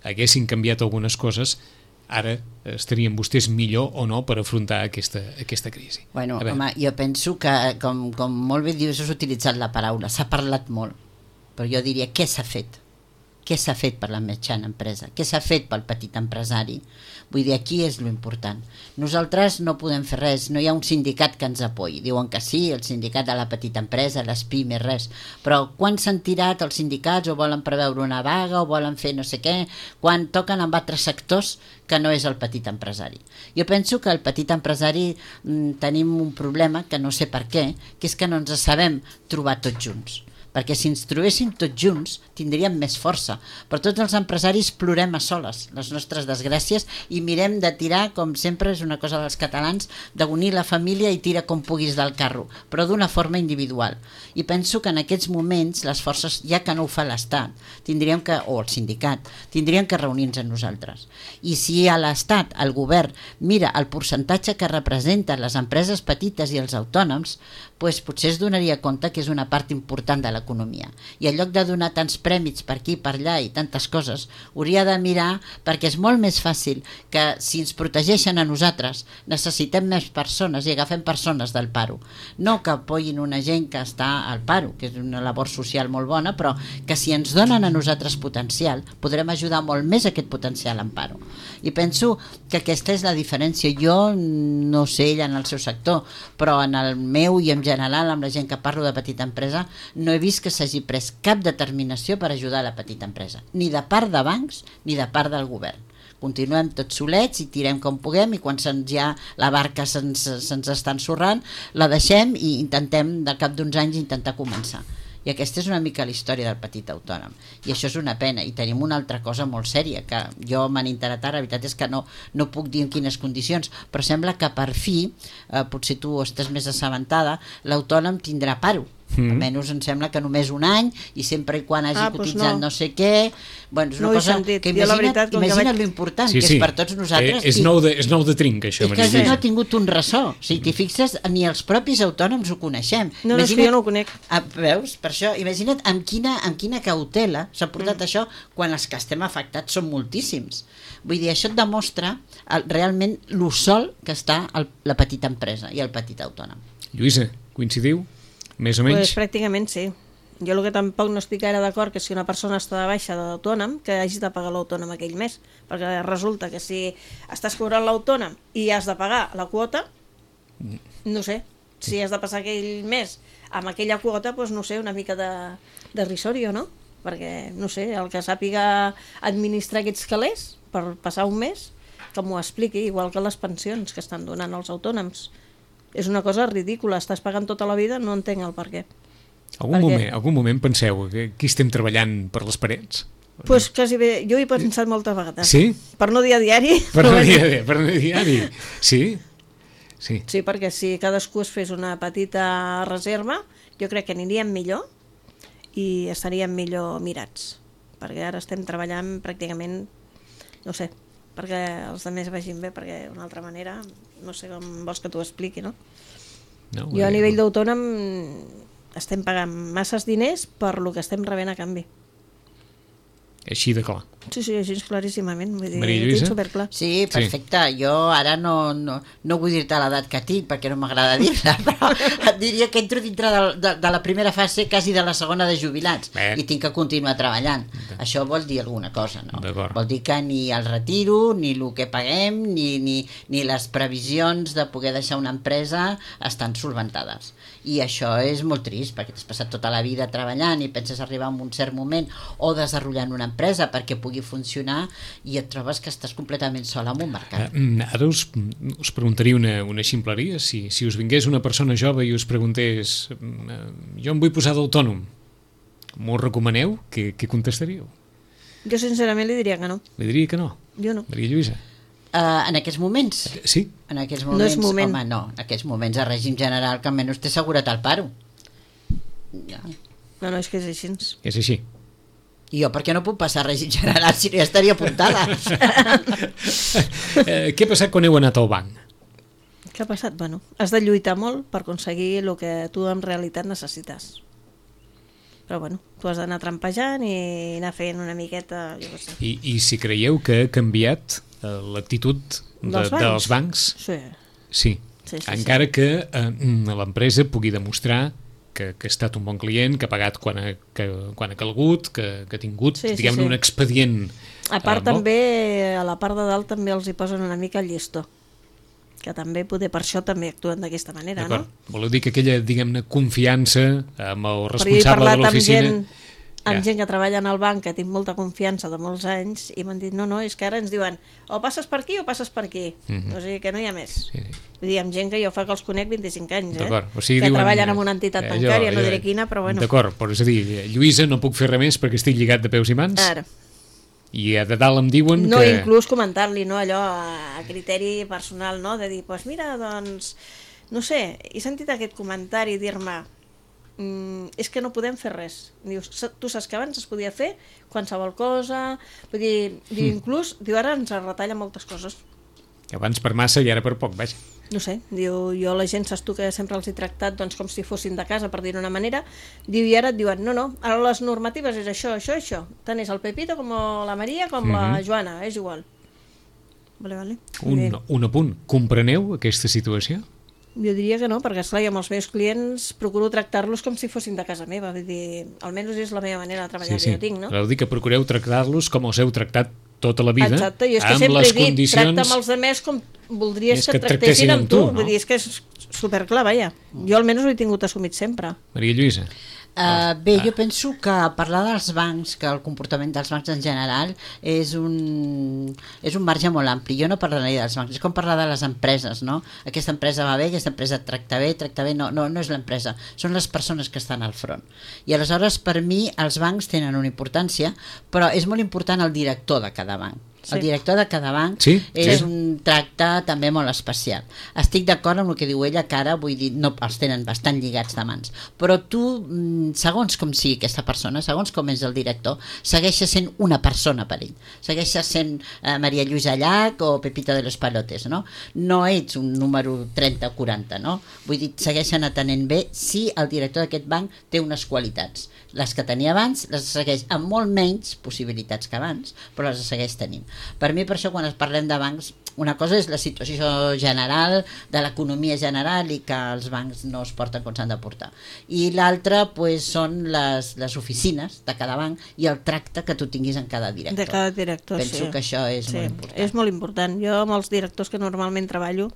haguessin canviat algunes coses, ara estarien vostès millor o no per afrontar aquesta, aquesta crisi? Bueno, home, jo penso que, com, com molt bé dius, has utilitzat la paraula, s'ha parlat molt, però jo diria, què s'ha fet? Què s'ha fet per la mitjana empresa? Què s'ha fet pel petit empresari? Vull dir, aquí és l'important. Nosaltres no podem fer res, no hi ha un sindicat que ens apoyi. Diuen que sí, el sindicat de la petita empresa, les pimes, res. Però quan s'han tirat els sindicats o volen preveure una vaga o volen fer no sé què, quan toquen amb altres sectors que no és el petit empresari. Jo penso que el petit empresari mm, tenim un problema, que no sé per què, que és que no ens sabem trobar tots junts. Perquè si ens trobéssim tots junts tindríem més força, però tots els empresaris plorem a soles les nostres desgràcies i mirem de tirar, com sempre és una cosa dels catalans, d'unir la família i tira com puguis del carro, però d'una forma individual. I penso que en aquests moments les forces, ja que no ho fa l'Estat, tindríem que, o el sindicat, tindríem que reunir-nos amb nosaltres. I si a l'Estat, el govern, mira el percentatge que representen les empreses petites i els autònoms, doncs potser es donaria compte que és una part important de l'economia. I en lloc de donar tants prèmits per aquí, per allà i tantes coses, hauria de mirar, perquè és molt més fàcil que si ens protegeixen a nosaltres, necessitem més persones i agafem persones del paro. No que apoyin una gent que està al paro, que és una labor social molt bona, però que si ens donen a nosaltres potencial, podrem ajudar molt més aquest potencial en paro. I penso que aquesta és la diferència. Jo no sé ella en el seu sector, però en el meu i en general, amb la gent que parlo de petita empresa, no he vist que s'hagi pres cap determinació per ajudar la petita empresa, ni de part de bancs ni de part del govern. Continuem tots solets i tirem com puguem, i quan se'ns ja la barca se'ns, se'ns està ensorrant, la deixem i intentem, de cap d'uns anys, intentar començar. I aquesta és una mica la història del petit autònom, i això és una pena. I tenim una altra cosa molt sèria que jo m'han interat ara, la veritat és que no, no puc dir en quines condicions, però sembla que per fi, eh, potser tu estàs més assabentada, l'autònom tindrà paro. Mm. Almenys em sembla que només un any, i sempre i quan hagi ah, cotitzat pues no. no sé què. Bueno, és una no cosa sentit. que imagina't, veritat, imagina't vaig... l'important, sí, que sí. és per tots nosaltres. Eh, és, nou de, és nou de trinc, això. És que això no ha tingut un ressò. Si t'hi fixes, ni els propis autònoms ho coneixem. No, no, és que jo no ho conec. Ah, veus? Per això, imagina't amb quina, amb quina cautela s'ha portat mm. això, quan els que estem afectats són moltíssims. Vull dir, això et demostra el, realment lo sol que està el, la petita empresa i el petit autònom. Lluïsa, coincidiu? Més o menys? Pues pràcticament sí. Jo el que tampoc no estic gaire d'acord que si una persona està de baixa d'autònom, que hagi de pagar l'autònom aquell mes, perquè resulta que si estàs cobrant l'autònom i has de pagar la quota, no sé, si has de passar aquell mes amb aquella quota, doncs no sé, una mica de, de risorio, no? Perquè, no sé, el que sàpiga administrar aquests calés per passar un mes, que m'ho expliqui, igual que les pensions que estan donant els autònoms. És una cosa ridícula, estàs pagant tota la vida, no entenc el per què. Algun, moment, algun moment penseu que aquí estem treballant per les parets? Doncs pues quasi bé, jo he pensat moltes vegades. Sí? Per no dir a diari. Per no dir, per no dir a diari, sí? Sí. Sí, perquè si cadascú es fes una petita reserva, jo crec que aniríem millor i estaríem millor mirats. Perquè ara estem treballant pràcticament, no sé, perquè els altres vagin bé, perquè d'una altra manera no sé com vols que t'ho expliqui, no? no jo a nivell d'autònom estem pagant masses diners per lo que estem rebent a canvi. Així de clar. Sí, sí, així claríssimament. Vull dir, Maria Lluïsa? superclar. Sí, perfecte. Sí. Jo ara no, no, no vull dir-te l'edat que tinc, perquè no m'agrada dir-la, però et diria que entro dintre de, de, de la primera fase, quasi de la segona de jubilats, Bé. i tinc que continuar treballant. Bé. Això vol dir alguna cosa, no? Vol dir que ni el retiro, ni el que paguem, ni, ni, ni les previsions de poder deixar una empresa estan solventades. I això és molt trist, perquè t'has passat tota la vida treballant i penses arribar a un cert moment o desenvolupant una empresa perquè pugui funcionar i et trobes que estàs completament sola en un mercat. Uh, ara us, us preguntaria una, una ximpleria. Si, si us vingués una persona jove i us preguntés uh, jo em vull posar d'autònom, m'ho recomaneu? Què, què contestaríeu? Jo sincerament li diria que no. Li diria que no? Jo no. Maria Lluïsa? Uh, en aquests moments? Sí. En aquests moments, no és moment. Home, no. En aquests moments el règim general que almenys té assegurat el paro. Ja. No, no, és que és així. És així. I jo per què no puc passar règim general si no ja estaria apuntada? eh, què ha passat quan heu anat al banc? Què ha passat? Bueno, has de lluitar molt per aconseguir el que tu en realitat necessites. Però bueno, tu has d'anar trampejant i anar fent una miqueta, jo què sé. I, I si creieu que ha canviat eh, l'actitud de, Dels bancs? dels bancs? Sí. Sí. Sí, sí, Encara sí. que eh, l'empresa pugui demostrar que, que ha estat un bon client, que ha pagat quan ha, que, quan ha calgut, que, que ha tingut, Sí, sí, diguem-ne, sí. un expedient. A part eh, molt- també, a la part de dalt també els hi posen una mica el llistó, que també poder per això també actuen d'aquesta manera, no? D'acord. Voleu dir que aquella, diguem-ne, confiança amb el Però jo he responsable de parlat amb l'oficina... gent, amb Ja. gent que treballa en el banc, que tinc molta confiança de molts anys, i m'han dit, no, no, és que ara ens diuen o passes per aquí o passes per aquí. Mhm. O sigui que no hi ha més. Sí, sí. Vull dir, amb gent que jo fa que els conec vint-i-cinc anys, eh? D'acord. O sigui, que diuen, treballen en una entitat eh, bancària, allò, no allò, diré quina, però bueno. D'acord, però és a dir, Lluïsa, no puc fer res més perquè estic lligat de peus i mans, Ara. i a de dalt em diuen No, que... inclús comentant-li, no, allò a criteri personal, no? De dir, doncs pues mira, doncs, no sé, he sentit aquest comentari dir-me mm, és que no podem fer res. Dius, "Sa- tu saps que abans es podia fer qualsevol cosa, vull dir, diu, inclús, diu, ara ens retalla moltes coses. Abans per massa i ara per poc, vaja. No sé, diu, jo la gent saps tu que sempre els he tractat doncs, com si fossin de casa, per dir-ho d'una manera, diu, i ara et diuen, no, no, ara les normatives és això, això, això, tant és el Pepito com la Maria com Mhm. la Joana, és igual. Vale, vale. Un, un apunt. Compreneu aquesta situació? Jo diria que no, perquè esclar, jo amb els meus clients procuro tractar-los com si fossin de casa meva, vull dir, almenys és la meva manera de treballar que jo tinc, no? Voleu dir que procureu tractar-los com els heu tractat tota la vida, Exacte, jo és que amb sempre les he dit, condicions... tracta amb els altres com voldries És que que et et tractessin tractessin amb amb tu, tu, no? vull dir, és que és superclar, vaja. Jo almenys ho he tingut assumit sempre. Maria Lluïsa. Uh, bé, jo penso que parlar dels bancs, que el comportament dels bancs en general és un, és un marge molt ampli. Jo no parlaria dels bancs, és com parlar de les empreses, no? Aquesta empresa va bé, aquesta empresa et tracta bé, tracta bé, no, no, no és l'empresa, són les persones que estan al front. I aleshores, per mi, els bancs tenen una importància, però és molt important el director de cada banc. Sí. El director de cada banc Sí, és sí. un tracte també molt especial. Estic d'acord amb el que diu ella, que ara, vull dir, no, els tenen bastant lligats de mans, però tu, mm, segons com sigui aquesta persona, segons com és el director, segueixes sent una persona per ell, segueixes sent eh, Maria Lluïsa Llach o Pepita de los Palotes, no? No ets un número trenta o quaranta, no? Vull dir, segueixen atenent bé si el director d'aquest banc té unes qualitats. Les que tenia abans les segueix amb molt menys possibilitats que abans, però les segueix tenint. Per mi, per això, quan es parlem de bancs, una cosa és la situació general de l'economia general i que els bancs no es porten com s'han de portar. I l'altra, pues, són les, les oficines de cada banc i el tracte que tu tinguis en cada director. De cada director, Penso sí. que això és sí, molt important. És molt important. Jo amb els directors que normalment treballo,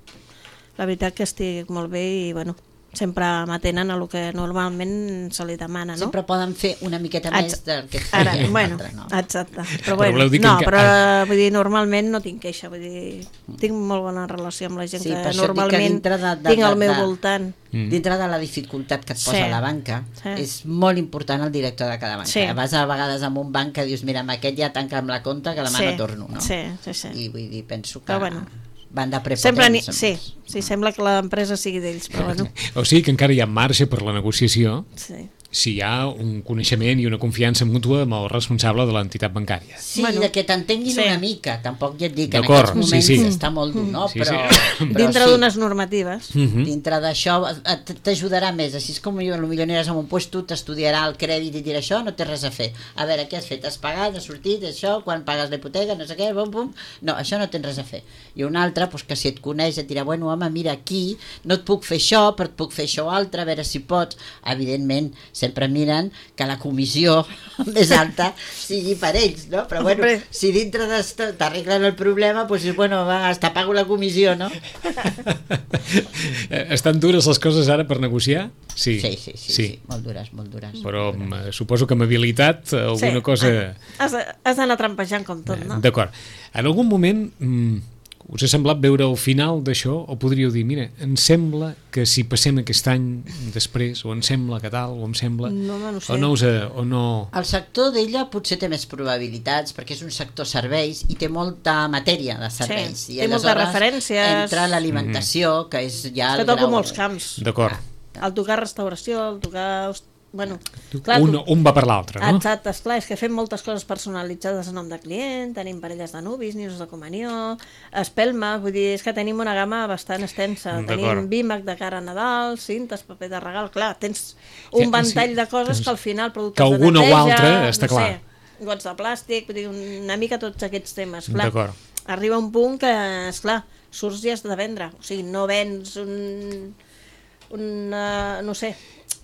la veritat que estic molt bé i, bueno, sempre m'atenen a lo que normalment se li demana, no? Sempre poden fer una miqueta més Exacte. del que et Ara, feia bueno, l'altre, no? exacte. Però, Però bueno, voleu dir que no, enca- però vull dir, normalment no tinc queixa, vull dir, tinc molt bona relació amb la gent Sí, que per això dic que normalment dintre de- de- tinc al de- meu de- voltant. Mm. Dintre de la dificultat que et posa Sí. la banca, Sí. és molt important el director de cada banca. Sí. Vas a vegades amb un banc que dius, mira, amb aquest ja tanca'm la compta que demà Sí, no torno, no? sí, sí, sí. I vull dir, penso que Però bueno, van de Sempre ni... prepotents. Sí, sí, sembla que l'empresa sigui d'ells, però bueno, O sigui que encara hi ha marge per la negociació sí. si hi ha un coneixement i una confiança mútua amb el responsable de l'entitat bancària. Sí, Bueno, de que t'entenguin sí. una mica. Tampoc ja et dic que en D'acord, aquests moments sí, sí. està molt dur, no? Sí, però, sí. però Dintre sí. d'unes normatives. Mhm. Dintre d'això et- t'ajudarà més, així és com jo, potser aniràs a un puesto, t'estudiarà el crèdit i dirà això, no té res a fer. A veure, què has fet? Has pagat, has sortit, això, quan pagues la hipoteca, no sé què, bum, bum. No, això no tens res a fer. I un altre, doncs, que si et coneix et dirà, bueno, home, mira, aquí no et puc fer això, però et puc fer això altre, a veure si pots. Evidentment, sempre miren que la comissió més alta sigui per ells, no? Però bueno, Hombre. si dintre d'esto t'arreglen el problema, doncs, pues, bueno, va, hasta pago la comissió, no? Eh, Estan dures les coses ara per negociar? Sí, Sí, sí, sí, sí, molt dures, molt dures. Però molt dures. mm, suposo que amb habilitat eh, alguna Sí. cosa... Has de- has d'anar trampejant com tot, no? D'acord. En algun moment mm, us ha semblat veure el final d'això o podríeu dir, mira, em sembla que si passem aquest any després, o em sembla que tal, o em sembla... No, no, no sé. O no us... ha- O no... El sector d'ella potser té més probabilitats perquè és un sector serveis i té molta matèria de serveis. Sí, I té moltes aleshores referències. entra l'alimentació, que és ja És que el toco grau... molts camps. D'acord. El tocar restauració, el tocar host- bueno, clar, un, tu... un va per l'altre, no? Exacte, esclar, és que fem moltes coses personalitzades a nom de client, tenim parelles de nuvis, nius de comunió, espelma, vull dir, és que tenim una gamma bastant extensa. Tenim vímac de cara a Nadal, cintes, paper de regal, clar, tens un ventall de coses que al final productes que de alguna neteja, o altra està no clar. Sé, gots de plàstic, vull dir, una mica tots aquests temes. Clar, d'acord. arriba un punt que, esclar, surts i has de vendre, o sigui, no vens un, una, no sé,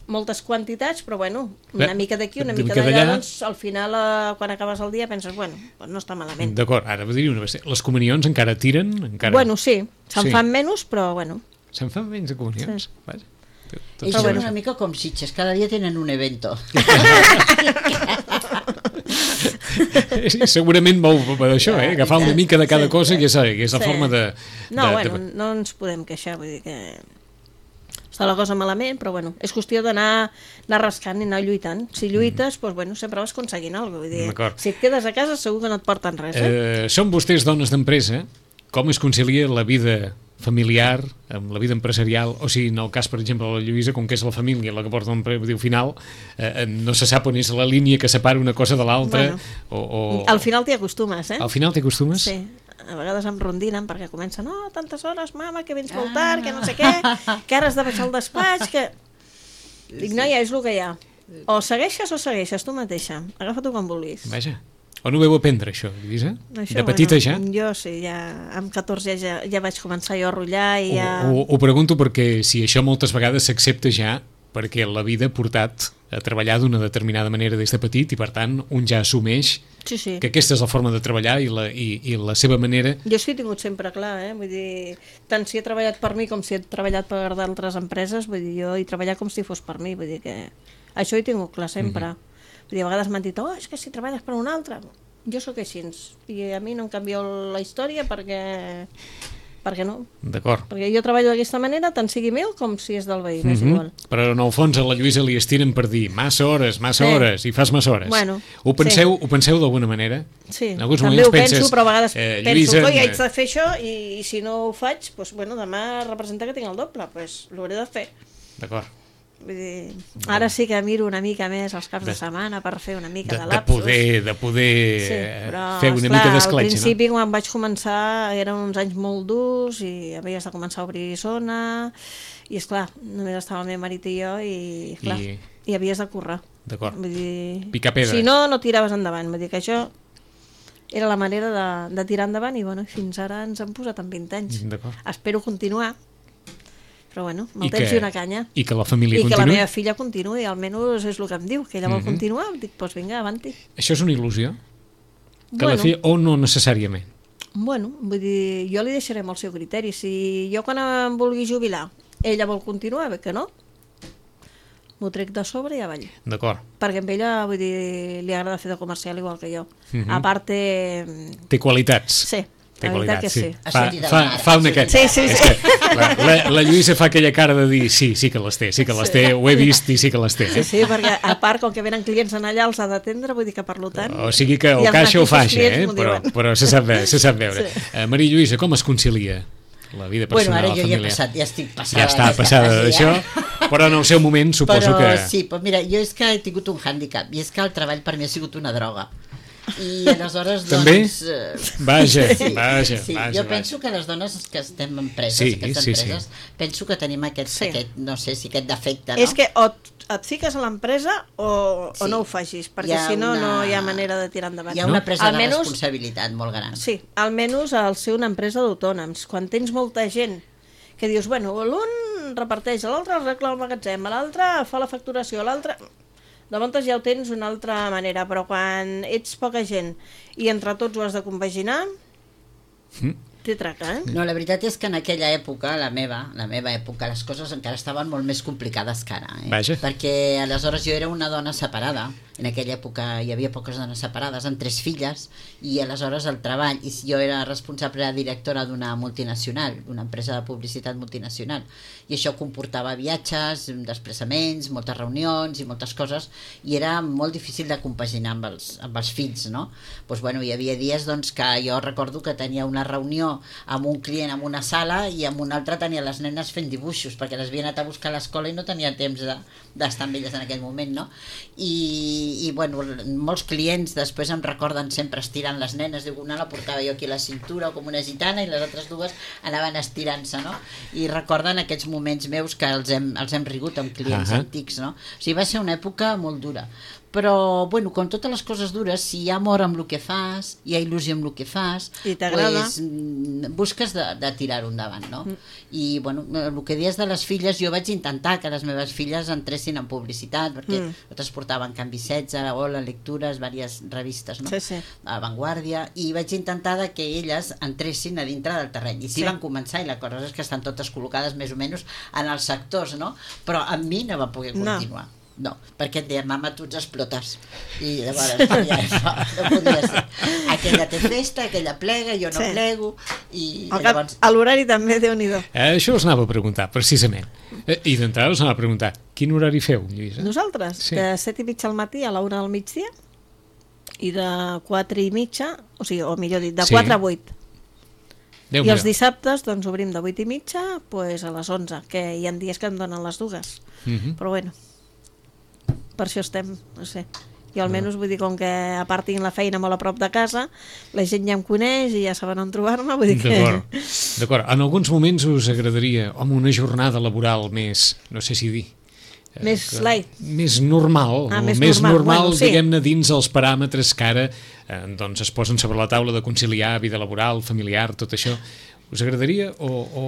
moltes quantitats, però bueno, una Bé, mica d'aquí, una una mica mica d'allà, d'allà. doncs al final, eh, quan acabes el dia, penses, bueno, doncs no està malament. D'acord, ara vull dir una vegada, les comunions encara tiren? Encara... Bueno, sí, se'n Sí. fan menys, però bueno. Se'n fan menys de comunions? Sí. Vaja. Tot Ells s'ha són de- una mica com Sitges, cada dia tenen un evento. Sí, segurament vol per això, eh? Agafar una mica de cada cosa, que és, que és la Sí. forma de... No, de, bueno, de... no ens podem queixar, vull dir que està la cosa malament, però bueno, és qüestió d'anar anar rascant i anar lluitant. Si lluites, doncs bueno, sempre vas aconseguint alguna cosa. Vull dir, D'acord. si et quedes a casa segur que no et porten res, eh? Eh, són vostès dones d'empresa, com es concilia la vida familiar amb la vida empresarial, o sigui, en el cas, per exemple, de la Lluïsa, com que és la família la que porta l'empresa final, eh, no se sap on és la línia que separa una cosa de l'altra, Bueno, o, o... Al final t'hi acostumes, eh? Al final t'hi acostumes? Sí, a vegades em rondinen perquè comencen, no, tantes hores, mama, que vens molt tard, que no sé què, que ara has de baixar al despatx, que... Dic, noia, és el que hi ha. O segueixes o segueixes tu mateixa. Agafa-t'ho com vulguis. Vaja. On ho veu aprendre, això, Lluïsa? Això, De petita bueno, ja? Jo sí, ja amb catorze ja, ja vaig començar jo a rotllar i ja... Ho, ho, ho pregunto perquè si això moltes vegades s'accepta ja perquè la vida ha portat a treballar d'una determinada manera des de petit i per tant un ja assumeix Sí, sí. que aquesta és la forma de treballar i la, i, i la seva manera... Jo és que he tingut sempre clar, eh? Vull dir, tant si he treballat per mi com si he treballat per d'altres empreses, vull dir, jo he treballat com si fos per mi, vull dir que això ho he tingut clar sempre. Mm -hmm. Vull dir, a vegades m'han dit, oh, és que si treballes per un altre... Jo sóc així, i a mi no em canvia la història perquè... perquè no. D'acord. Perquè jo treballo d'aquesta manera, tant sigui meu com si és del veí, m'és Mm -hmm. igual. Però en el fons a la Lluïsa li estiren per dir massa hores, massa Sí. hores, i fas massa hores. Bueno, ho penseu, ho penseu d'alguna manera? Sí, En alguns també moments ho penso, penses, però a vegades eh, penso Lluïsa, que eh, haig de fer això i, i si no ho faig, doncs, bueno, demà representa que tinc el doble, doncs l'hauré de fer. D'acord. Vull dir, ara sí que miro una mica més els caps de, De- setmana per fer una mica De, de de lapsus. poder, de poder Sí, eh, però, fer una esclar, mica al d'escletxa, principi, quan vaig començar, eren uns anys molt durs i havies de començar a obrir zona i, esclar, només estava el meu marit i jo i, clar, I- i, havies de currar. D'acord. Vull dir, Picar pedra. si no, no tiraves endavant. Vull dir que això era la manera de, de tirar endavant i, bueno, fins ara ens han posat en vint anys. D'acord. Espero continuar, però, bueno, amb el I temps que- i una canya. I que la família I que la continuï. meva filla continuï, almenys és el que em diu, que ella vol Mhm. continuar. Dic, doncs vinga, avanti. Això és una il·lusió? Que Bueno. la fi... O no necessàriament? Bueno, vull dir, jo li deixaré amb el seu criteri. Si jo quan em vulgui jubilar, ella vol continuar, bé que no, m'ho trec de sobre i avall. D'acord. Perquè amb ella, vull dir, li agrada fer de comercial igual que jo. Mhm. A part, té... Té qualitats. Sí, Té la veritat qualitats, que sí. sí. Ha Fa, sortit del fa, mar, fa ha una... sortit Sí, sí, És sí. que la, la, la Lluïsa fa aquella cara de dir sí, sí que les té, sí que les té, ho he vist i sí que les té. Sí, sí, perquè a part, com que venen clients en allà, els ha d'atendre, vull dir que per tant... O sigui que el i els caixa ho fa mateixos així, clients eh? m'ho però, diuen. però se sap, ve- se sap veure. Sí. Eh, Maria Lluïsa, com es concilia la vida Bueno, personal, ara la jo ja he familiar? passat, ja estic passada. Ja està d'aquesta passada fase, d'això, ja. però en el seu moment suposo Però que... sí, però mira, jo és que he tingut un hàndicap, i és que el treball per mi ha sigut una droga. I aleshores, També? doncs... eh, Vaja, sí, vaja, sí. vaja, Jo vaja. penso que les dones que estem en empreses, Sí, aquestes sí, sí. empreses, penso que tenim aquest, Sí. aquest, no sé si aquest defecte, no? És que o et- et fiques a l'empresa o, Sí. o no ho facis, Hi perquè ha si no, una- no hi ha manera de tirar endavant. Hi ha una presa de Almenys- responsabilitat molt gran. Sí, almenys al ser una empresa d'autònoms. Quan tens molta gent que dius, bueno, l'un reparteix, l'altre arregla el magatzem, l'altre fa la facturació, l'altre... Llavors ja ho tens d'una altra manera, però quan ets poca gent i entre tots ho has de compaginar, Mm. té traca, eh? No, la veritat és que en aquella època, la meva, la meva època, les coses encara estaven molt més complicades que ara. Eh? Vaja. Perquè aleshores jo era una dona separada. En aquella època hi havia poques dones separades, amb tres filles, i aleshores el treball, i jo era responsable, era directora d'una multinacional, d'una empresa de publicitat multinacional, i això comportava viatges, desplaçaments, moltes reunions i moltes coses, i era molt difícil de compaginar amb els, amb els fills, no? Doncs, bueno, hi havia dies doncs, que jo recordo que tenia una reunió no? Amb un client en una sala i amb un altre tenia les nenes fent dibuixos, perquè les havia anat a buscar a l'escola i no tenia temps de, d'estar amb elles en aquell moment, no? I, i bueno, molts clients després em recorden sempre estirant les nenes, diu, una la portava jo aquí a la cintura com una gitana i les altres dues anaven estirant-se, no? I recorden aquests moments meus que els hem, els hem rigut amb clients uh-huh. antics, no? O sigui, va ser una època molt dura. Però, bueno, com totes les coses dures, si hi ha amor amb el que fas, hi ha il·lusió amb el que fas, i t'agrada, pues, busques de, de tirar-ho endavant, no? Mm. I, bueno, el que dius de les filles, jo vaig intentar que les meves filles entressin en publicitat, perquè mm. nosaltres portaven Canvi setze, Hola, Lectures, diverses revistes, no? Sí, sí. A Vanguardia, i vaig intentar que elles entressin a dintre del terreny. I sí, sí. van començar, i la cosa és que estan totes col·locades més o menys en els sectors, no? Però amb mi no va poder continuar. No. No, perquè et deia, mama, tu ets explotes. I llavors ja, no, no podia ser. Aquella té festa, aquella plega, jo no sí. plego. I llavors... A l'horari també, Déu-n'hi-do. Eh, això us anava a preguntar, precisament. Eh, I d'entrada us anava a preguntar, quin horari feu, Lluïsa? Nosaltres? Sí. De set i mitja al matí a la una del migdia i de quatre i mitja, o sigui, o millor dit, de sí. quatre a vuit. Déu I els dissabtes doncs obrim de vuit i mitja pues, a les onze, que hi ha dies que em donen les dues. Uh-huh. Però bueno, per això estem, no sé. Jo almenys vull dir, com que a part tinc la feina molt a prop de casa, la gent ja em coneix i ja saben on trobar-me, vull dir que... D'acord, d'acord. En alguns moments us agradaria, home, una jornada laboral més, no sé si dir... Més que, light. Més normal, ah, més, més normal, normal bueno, sí. diguem-ne, dins els paràmetres que ara eh, doncs es posen sobre la taula de conciliar vida laboral, familiar, tot això. Us agradaria o, o,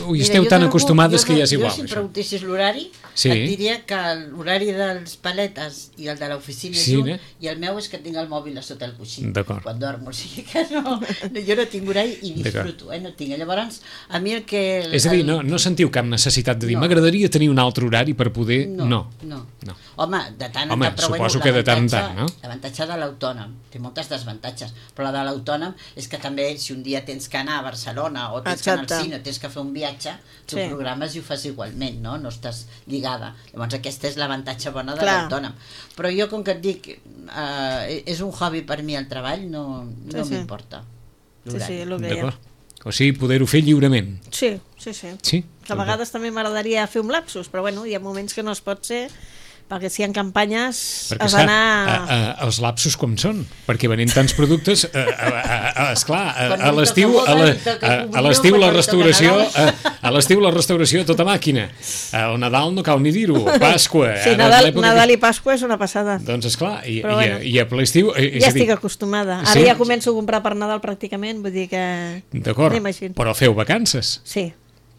o hi esteu Mira, tan acostumades jo, que ja és igual? Jo, si em preguntessis l'horari, sí. et diria que l'horari dels paletes i el de l'oficina sí, junt, eh? I el meu és que tinc el mòbil a sota el coixí quan dormo, o sigui que no, no jo no tinc horari i disfruto, eh? No tinc. Llavors, a mi el que... El, és a dir, no, no sentiu cap necessitat de dir, no. m'agradaria tenir un altre horari per poder... No, no. no. no. Home, de tant en Home, tant, però suposo bueno, que de tant en tant, no? L'avantatge de l'autònom, té moltes desavantatges, però la de l'autònom és que també si un dia tens que anar a Barcelona o tens Exacte. que anar al cine, tens que fer un viatge, tu sí. programes i ho fas igualment, no? No estàs lligada. Llavors aquesta és l'avantatge bona de l'autònom. Però jo, com que et dic, eh, és un hobby per mi el treball, no, no sí, sí. m'importa. Sí, sí, el que hi ha. O sigui, poder-ho fer lliurement. Sí, sí, sí. sí? Que a vegades també m'agradaria fer un lapsus, però bueno, hi ha moments que no es pot ser... perquè si hi ha campanyes perquè, has d'anar... A, a, els lapsos com són? Perquè venent tants productes, a, a, a, a, esclar, a, a l'estiu a, la, a, a l'estiu la restauració a, a l'estiu la restauració tota màquina. El Nadal no cal ni dir-ho, Pasqua... Sí, Nadal, Nadal i Pasqua és una passada. Doncs esclar, i, i, bueno, i a l'estiu... Ja estic acostumada. Ara sí? ja començo a comprar per Nadal pràcticament, vull dir que... D'acord, però feu vacances. Sí.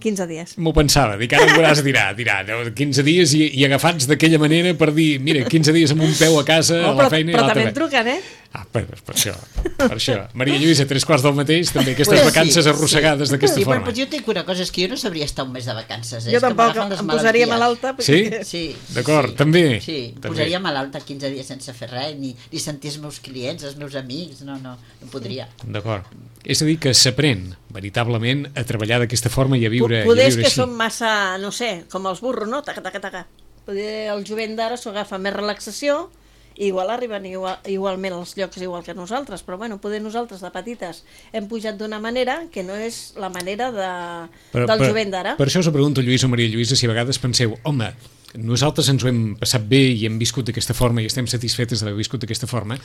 quinze dies. M'ho pensava, dic, ara em veuràs dirà, dirà, quinze dies i, i agafats d'aquella manera per dir, mira, quinze dies amb un peu a casa, oh, a la feina però, i l'altre. Però també em truquen, eh? Ah, per, per això, per això. Maria Lluïsa, tres quarts del mateix, també aquestes pues vacances sí, arrossegades sí. d'aquesta sí, forma. Però jo tinc una cosa, és que jo no sabria estar un mes de vacances. Eh? Jo tampoc, em posaria malalta. Sí? Sí. D'acord, sí. també. Sí, també. posaria malalta quinze dies sense fer res, ni, ni sentir els meus clients, els meus amics, no, no, no podria. D'acord. És a dir, que s'aprèn veritablement a treballar d'aquesta forma i a viure, Poder i a viure que així. Són massa, no sé, com els burros, no? Taca, taca, taca. Poder el jovent d'ara s'ho agafa més relaxació, igual arriben igual, igualment als llocs igual que nosaltres, però bueno, poder nosaltres de petites hem pujat d'una manera que no és la manera de, però, del per, jovent d'ara. Per això us pregunto, Lluís o Maria Lluïsa, si a vegades penseu, home, nosaltres ens ho hem passat bé i hem viscut d'aquesta forma i estem satisfetes d'haver viscut d'aquesta forma,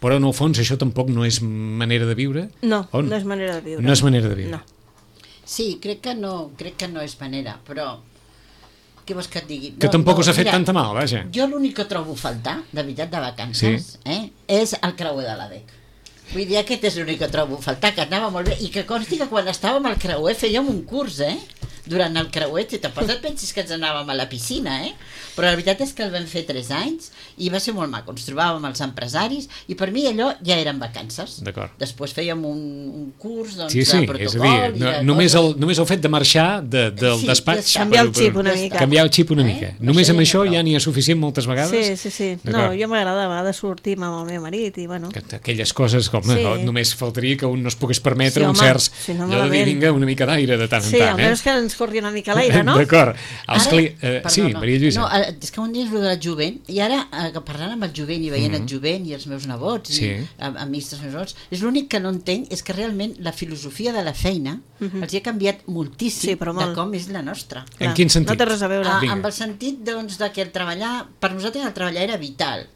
però en el fons això tampoc no és manera de viure? No, o no? no és manera de viure. No és manera de viure. No. Sí, crec que no, crec que no és manera, però... Què vols que et digui? Que no, tampoc no, us ha fet mira, tanta mal, vaja. Jo l'únic que trobo a faltar, de veritat, de vacances, sí. eh, és el creuer de l'A D E C. Vull dir, aquest és l'únic que trobo a faltar, que anava molt bé, i que consti que quan estàvem al creuer fèiem un curs, eh? Durant el creuer, si tampoc et pensis que ens anàvem a la piscina, eh? Però la veritat és que el vam fer tres anys i va ser molt maco. Ens trobàvem els empresaris i per mi allò ja eren vacances. D'acord. Després fèiem un, un curs doncs, sí, sí, de protocol. És a dir, no, de només, el, només el fet de marxar de, del sí, despatx... Canviar el xip una mica. Canviar el xip una eh? mica. Només amb això ja n'hi ha suficient moltes vegades? Sí, sí, sí. No, jo m'agrada a vegades sortir amb el meu marit i bueno... Aquelles coses com... Sí. Només faltaria que un no es pogués permetre sí, un certs... Si no allò de dir, vinga, una mica d'aire de tant sí, en tant, eh? Sí, almenys que ens corri una mica l'aire, no? D'acord. Els Ara- cli- eh, perdó, sí, no. Maria Lluïsa. No, eh, és que un dia és el del jovent, i ara, eh, que parlant amb el jovent i veient Mhm. el jovent i els meus nebots, Sí. i am- amics dels meus nebots, és l'únic que no entenc és que realment la filosofia de la feina els hi ha canviat moltíssim Sí, però molt. de com és la nostra. En quin sentit? No té res a veure. Ah, Vinga. amb el sentit doncs, de que el treballar, per nosaltres el treballar era vital.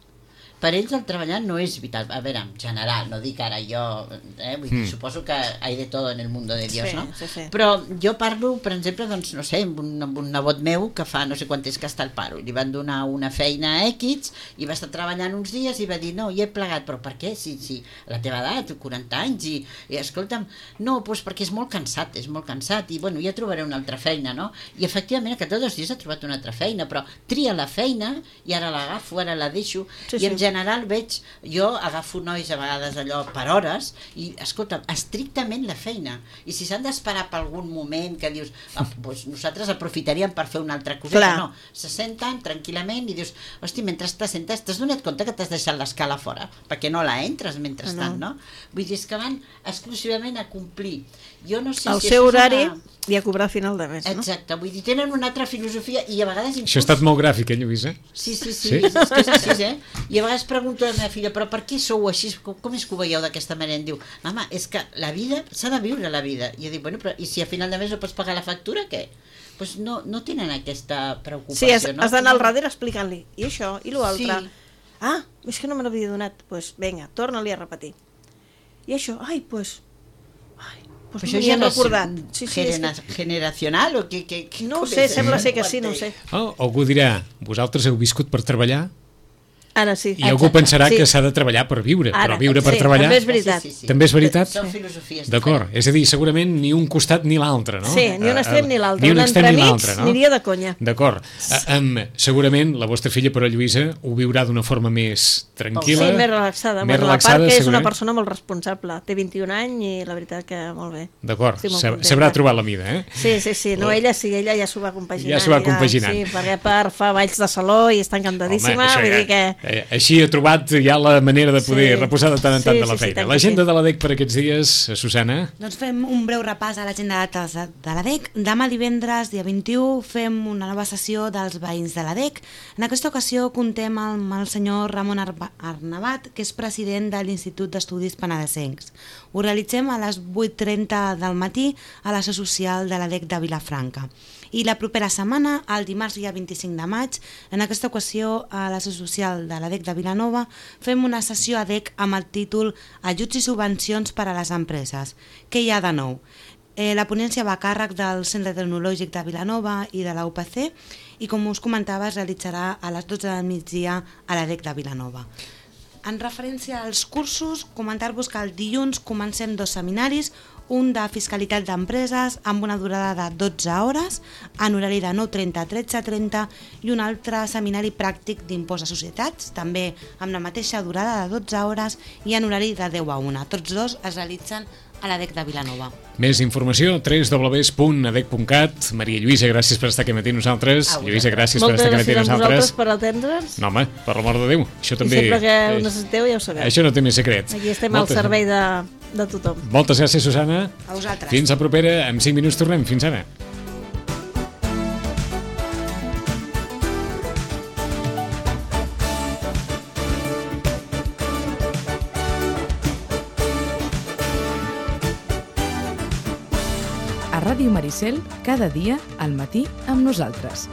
Per ells el treballar no és vital. A veure, en general, no dic ara jo, eh? Vull dir, Mm. suposo que hay de todo en el mundo de Dios, Sí, no? sí, sí. Però jo parlo, per exemple, doncs, no sé, amb un, amb un nebot meu que fa no sé quant temps que està al paro, i li van donar una feina a X i va estar treballant uns dies i va dir, no, hi he plegat, però per què? Si, si la teva edat, quaranta anys, i, i escolta'm, no, doncs perquè és molt cansat, és molt cansat, i bueno, ja trobaré una altra feina, no? I efectivament, que tots dos dies ha trobat una altra feina, però tria la feina i ara l'agafo, ara la deixo, Sí, i sí. en general veig, jo agafo nois a vegades allò per hores i, escolta, estrictament la feina, i si s'han d'esperar per algun moment que dius, ah, doncs nosaltres aprofitaríem per fer una altra coseta, Clar. no, se senten tranquil·lament i dius, hosti, mentre te sentes t'has donat compte que t'has deixat l'escala fora perquè no la entres mentrestant, no? Vull dir, és que van exclusivament a complir. Jo no sé El si seu això és horari una... i a cobrar a final de mes, no? Exacte, vull dir, tenen una altra filosofia i a vegades inclús... Això ha estat molt gràfic, eh, Lluïsa? Sí, sí, sí, Sí? és que és així, eh? I a vegades pregunto a la meva filla, però per què sou així? Com, com és que ho veieu d'aquesta manera? Em diu, mama, és que la vida, s'ha de viure la vida. I jo dic, bueno, però i si a final de mes no pots pagar la factura, què? Pues no, no tenen aquesta preocupació, Sí, has, no? has d'anar al darrere explicant-li. I això, i l'altre. Sí. Ah, és que no me n'havia donat. Doncs pues, vinga, torna-li a repetir. I això, ai, doncs... Pues, ai, pues Però no m'hi ja he no és recordat. Sí, sí, és genera que... generacional o què? què, què No ho com sé, és sembla això? ser que No ho sí, no ho sé. entenc. Oh, algú dirà, vosaltres heu viscut per treballar? Ara sí. I algú Exacte. pensarà Sí. que s'ha de treballar per viure, Ara, però viure per sí, treballar... també és veritat. Sí, sí, sí. També és veritat? Són filosofies D'acord, diferents. és a dir, segurament ni un costat ni l'altre, no? Sí, ni un Eh, extrem eh, ni l'altre. Ni un Un extrem ni entremig l'altre, no? aniria de conya. D'acord. Eh, um, segurament la vostra filla, però Lluïsa, ho viurà d'una forma més tranquil·la. Sí, més relaxada. Més bueno, relaxada, a part que és una segurament. persona molt responsable. Té vint-i-un anys i la veritat que molt bé. D'acord, Estic molt sab- contenta. sabrà trobar la mida, eh? Sí, sí, sí. No, ella sí, ella ja s'ho va compaginant. Ja s'ho va diguem, compaginant. Sí, perquè a part fa balls de saló i està encantadíssima. això vull ja- dir que... eh, així ha trobat ja la manera de poder Sí. reposar de tant en tant Sí, de la sí, sí, feina. tant que L'agenda sí. de la D E C per aquests dies, eh, Susana? Doncs fem un breu repàs a l'agenda de dates de de la D E C. Demà divendres, dia vint-i-u, fem una nova sessió dels veïns de la D E C. En aquesta ocasió contem amb el senyor Ramon Arba- Arnabat, que és president de l'Institut d'Estudis Penedesencs. Ho realitzem a les vuit trenta del matí a la seu social de la D E C de Vilafranca. I la propera setmana, el dimarts dia vint-i-cinc de maig, en aquesta ocasió a la seu social de la D E C de Vilanova, fem una sessió a D E C amb el títol Ajuts i subvencions per a les empreses. Què hi ha de nou? Eh, la ponència va a càrrec del Centre Tecnològic de Vilanova i de la U P C i, com us comentava, es realitzarà a les dotze del migdia a la D E C de Vilanova. En referència als cursos, comentar-vos que el dilluns comencem dos seminaris, un de fiscalitat d'empreses amb una durada de dotze hores, en horari de nou trenta a tretze trenta, i un altre seminari pràctic d'impost a societats, també amb la mateixa durada de dotze hores i en horari de deu a una. Tots dos es realitzen a la D E C de Vilanova. Més informació, w w w punt a d e c punt cat. Maria Lluïsa, gràcies per estar aquí matí amb nosaltres. A vosaltres. Lluïsa, gràcies per Moltes estar aquí matí gràcies a amb vosaltres nosaltres. per atendre'ns. No, home, per l'amor de Déu, això I també... sempre que ho eh, necessiteu ja ho sabeu. Això no té més secret. Aquí estem Moltes- al servei de, de tothom. Moltes gràcies, Susana. A vosaltres. Fins a propera. En cinc minuts tornem. Fins ara. A Ràdio Maricel, cada dia al matí amb nosaltres.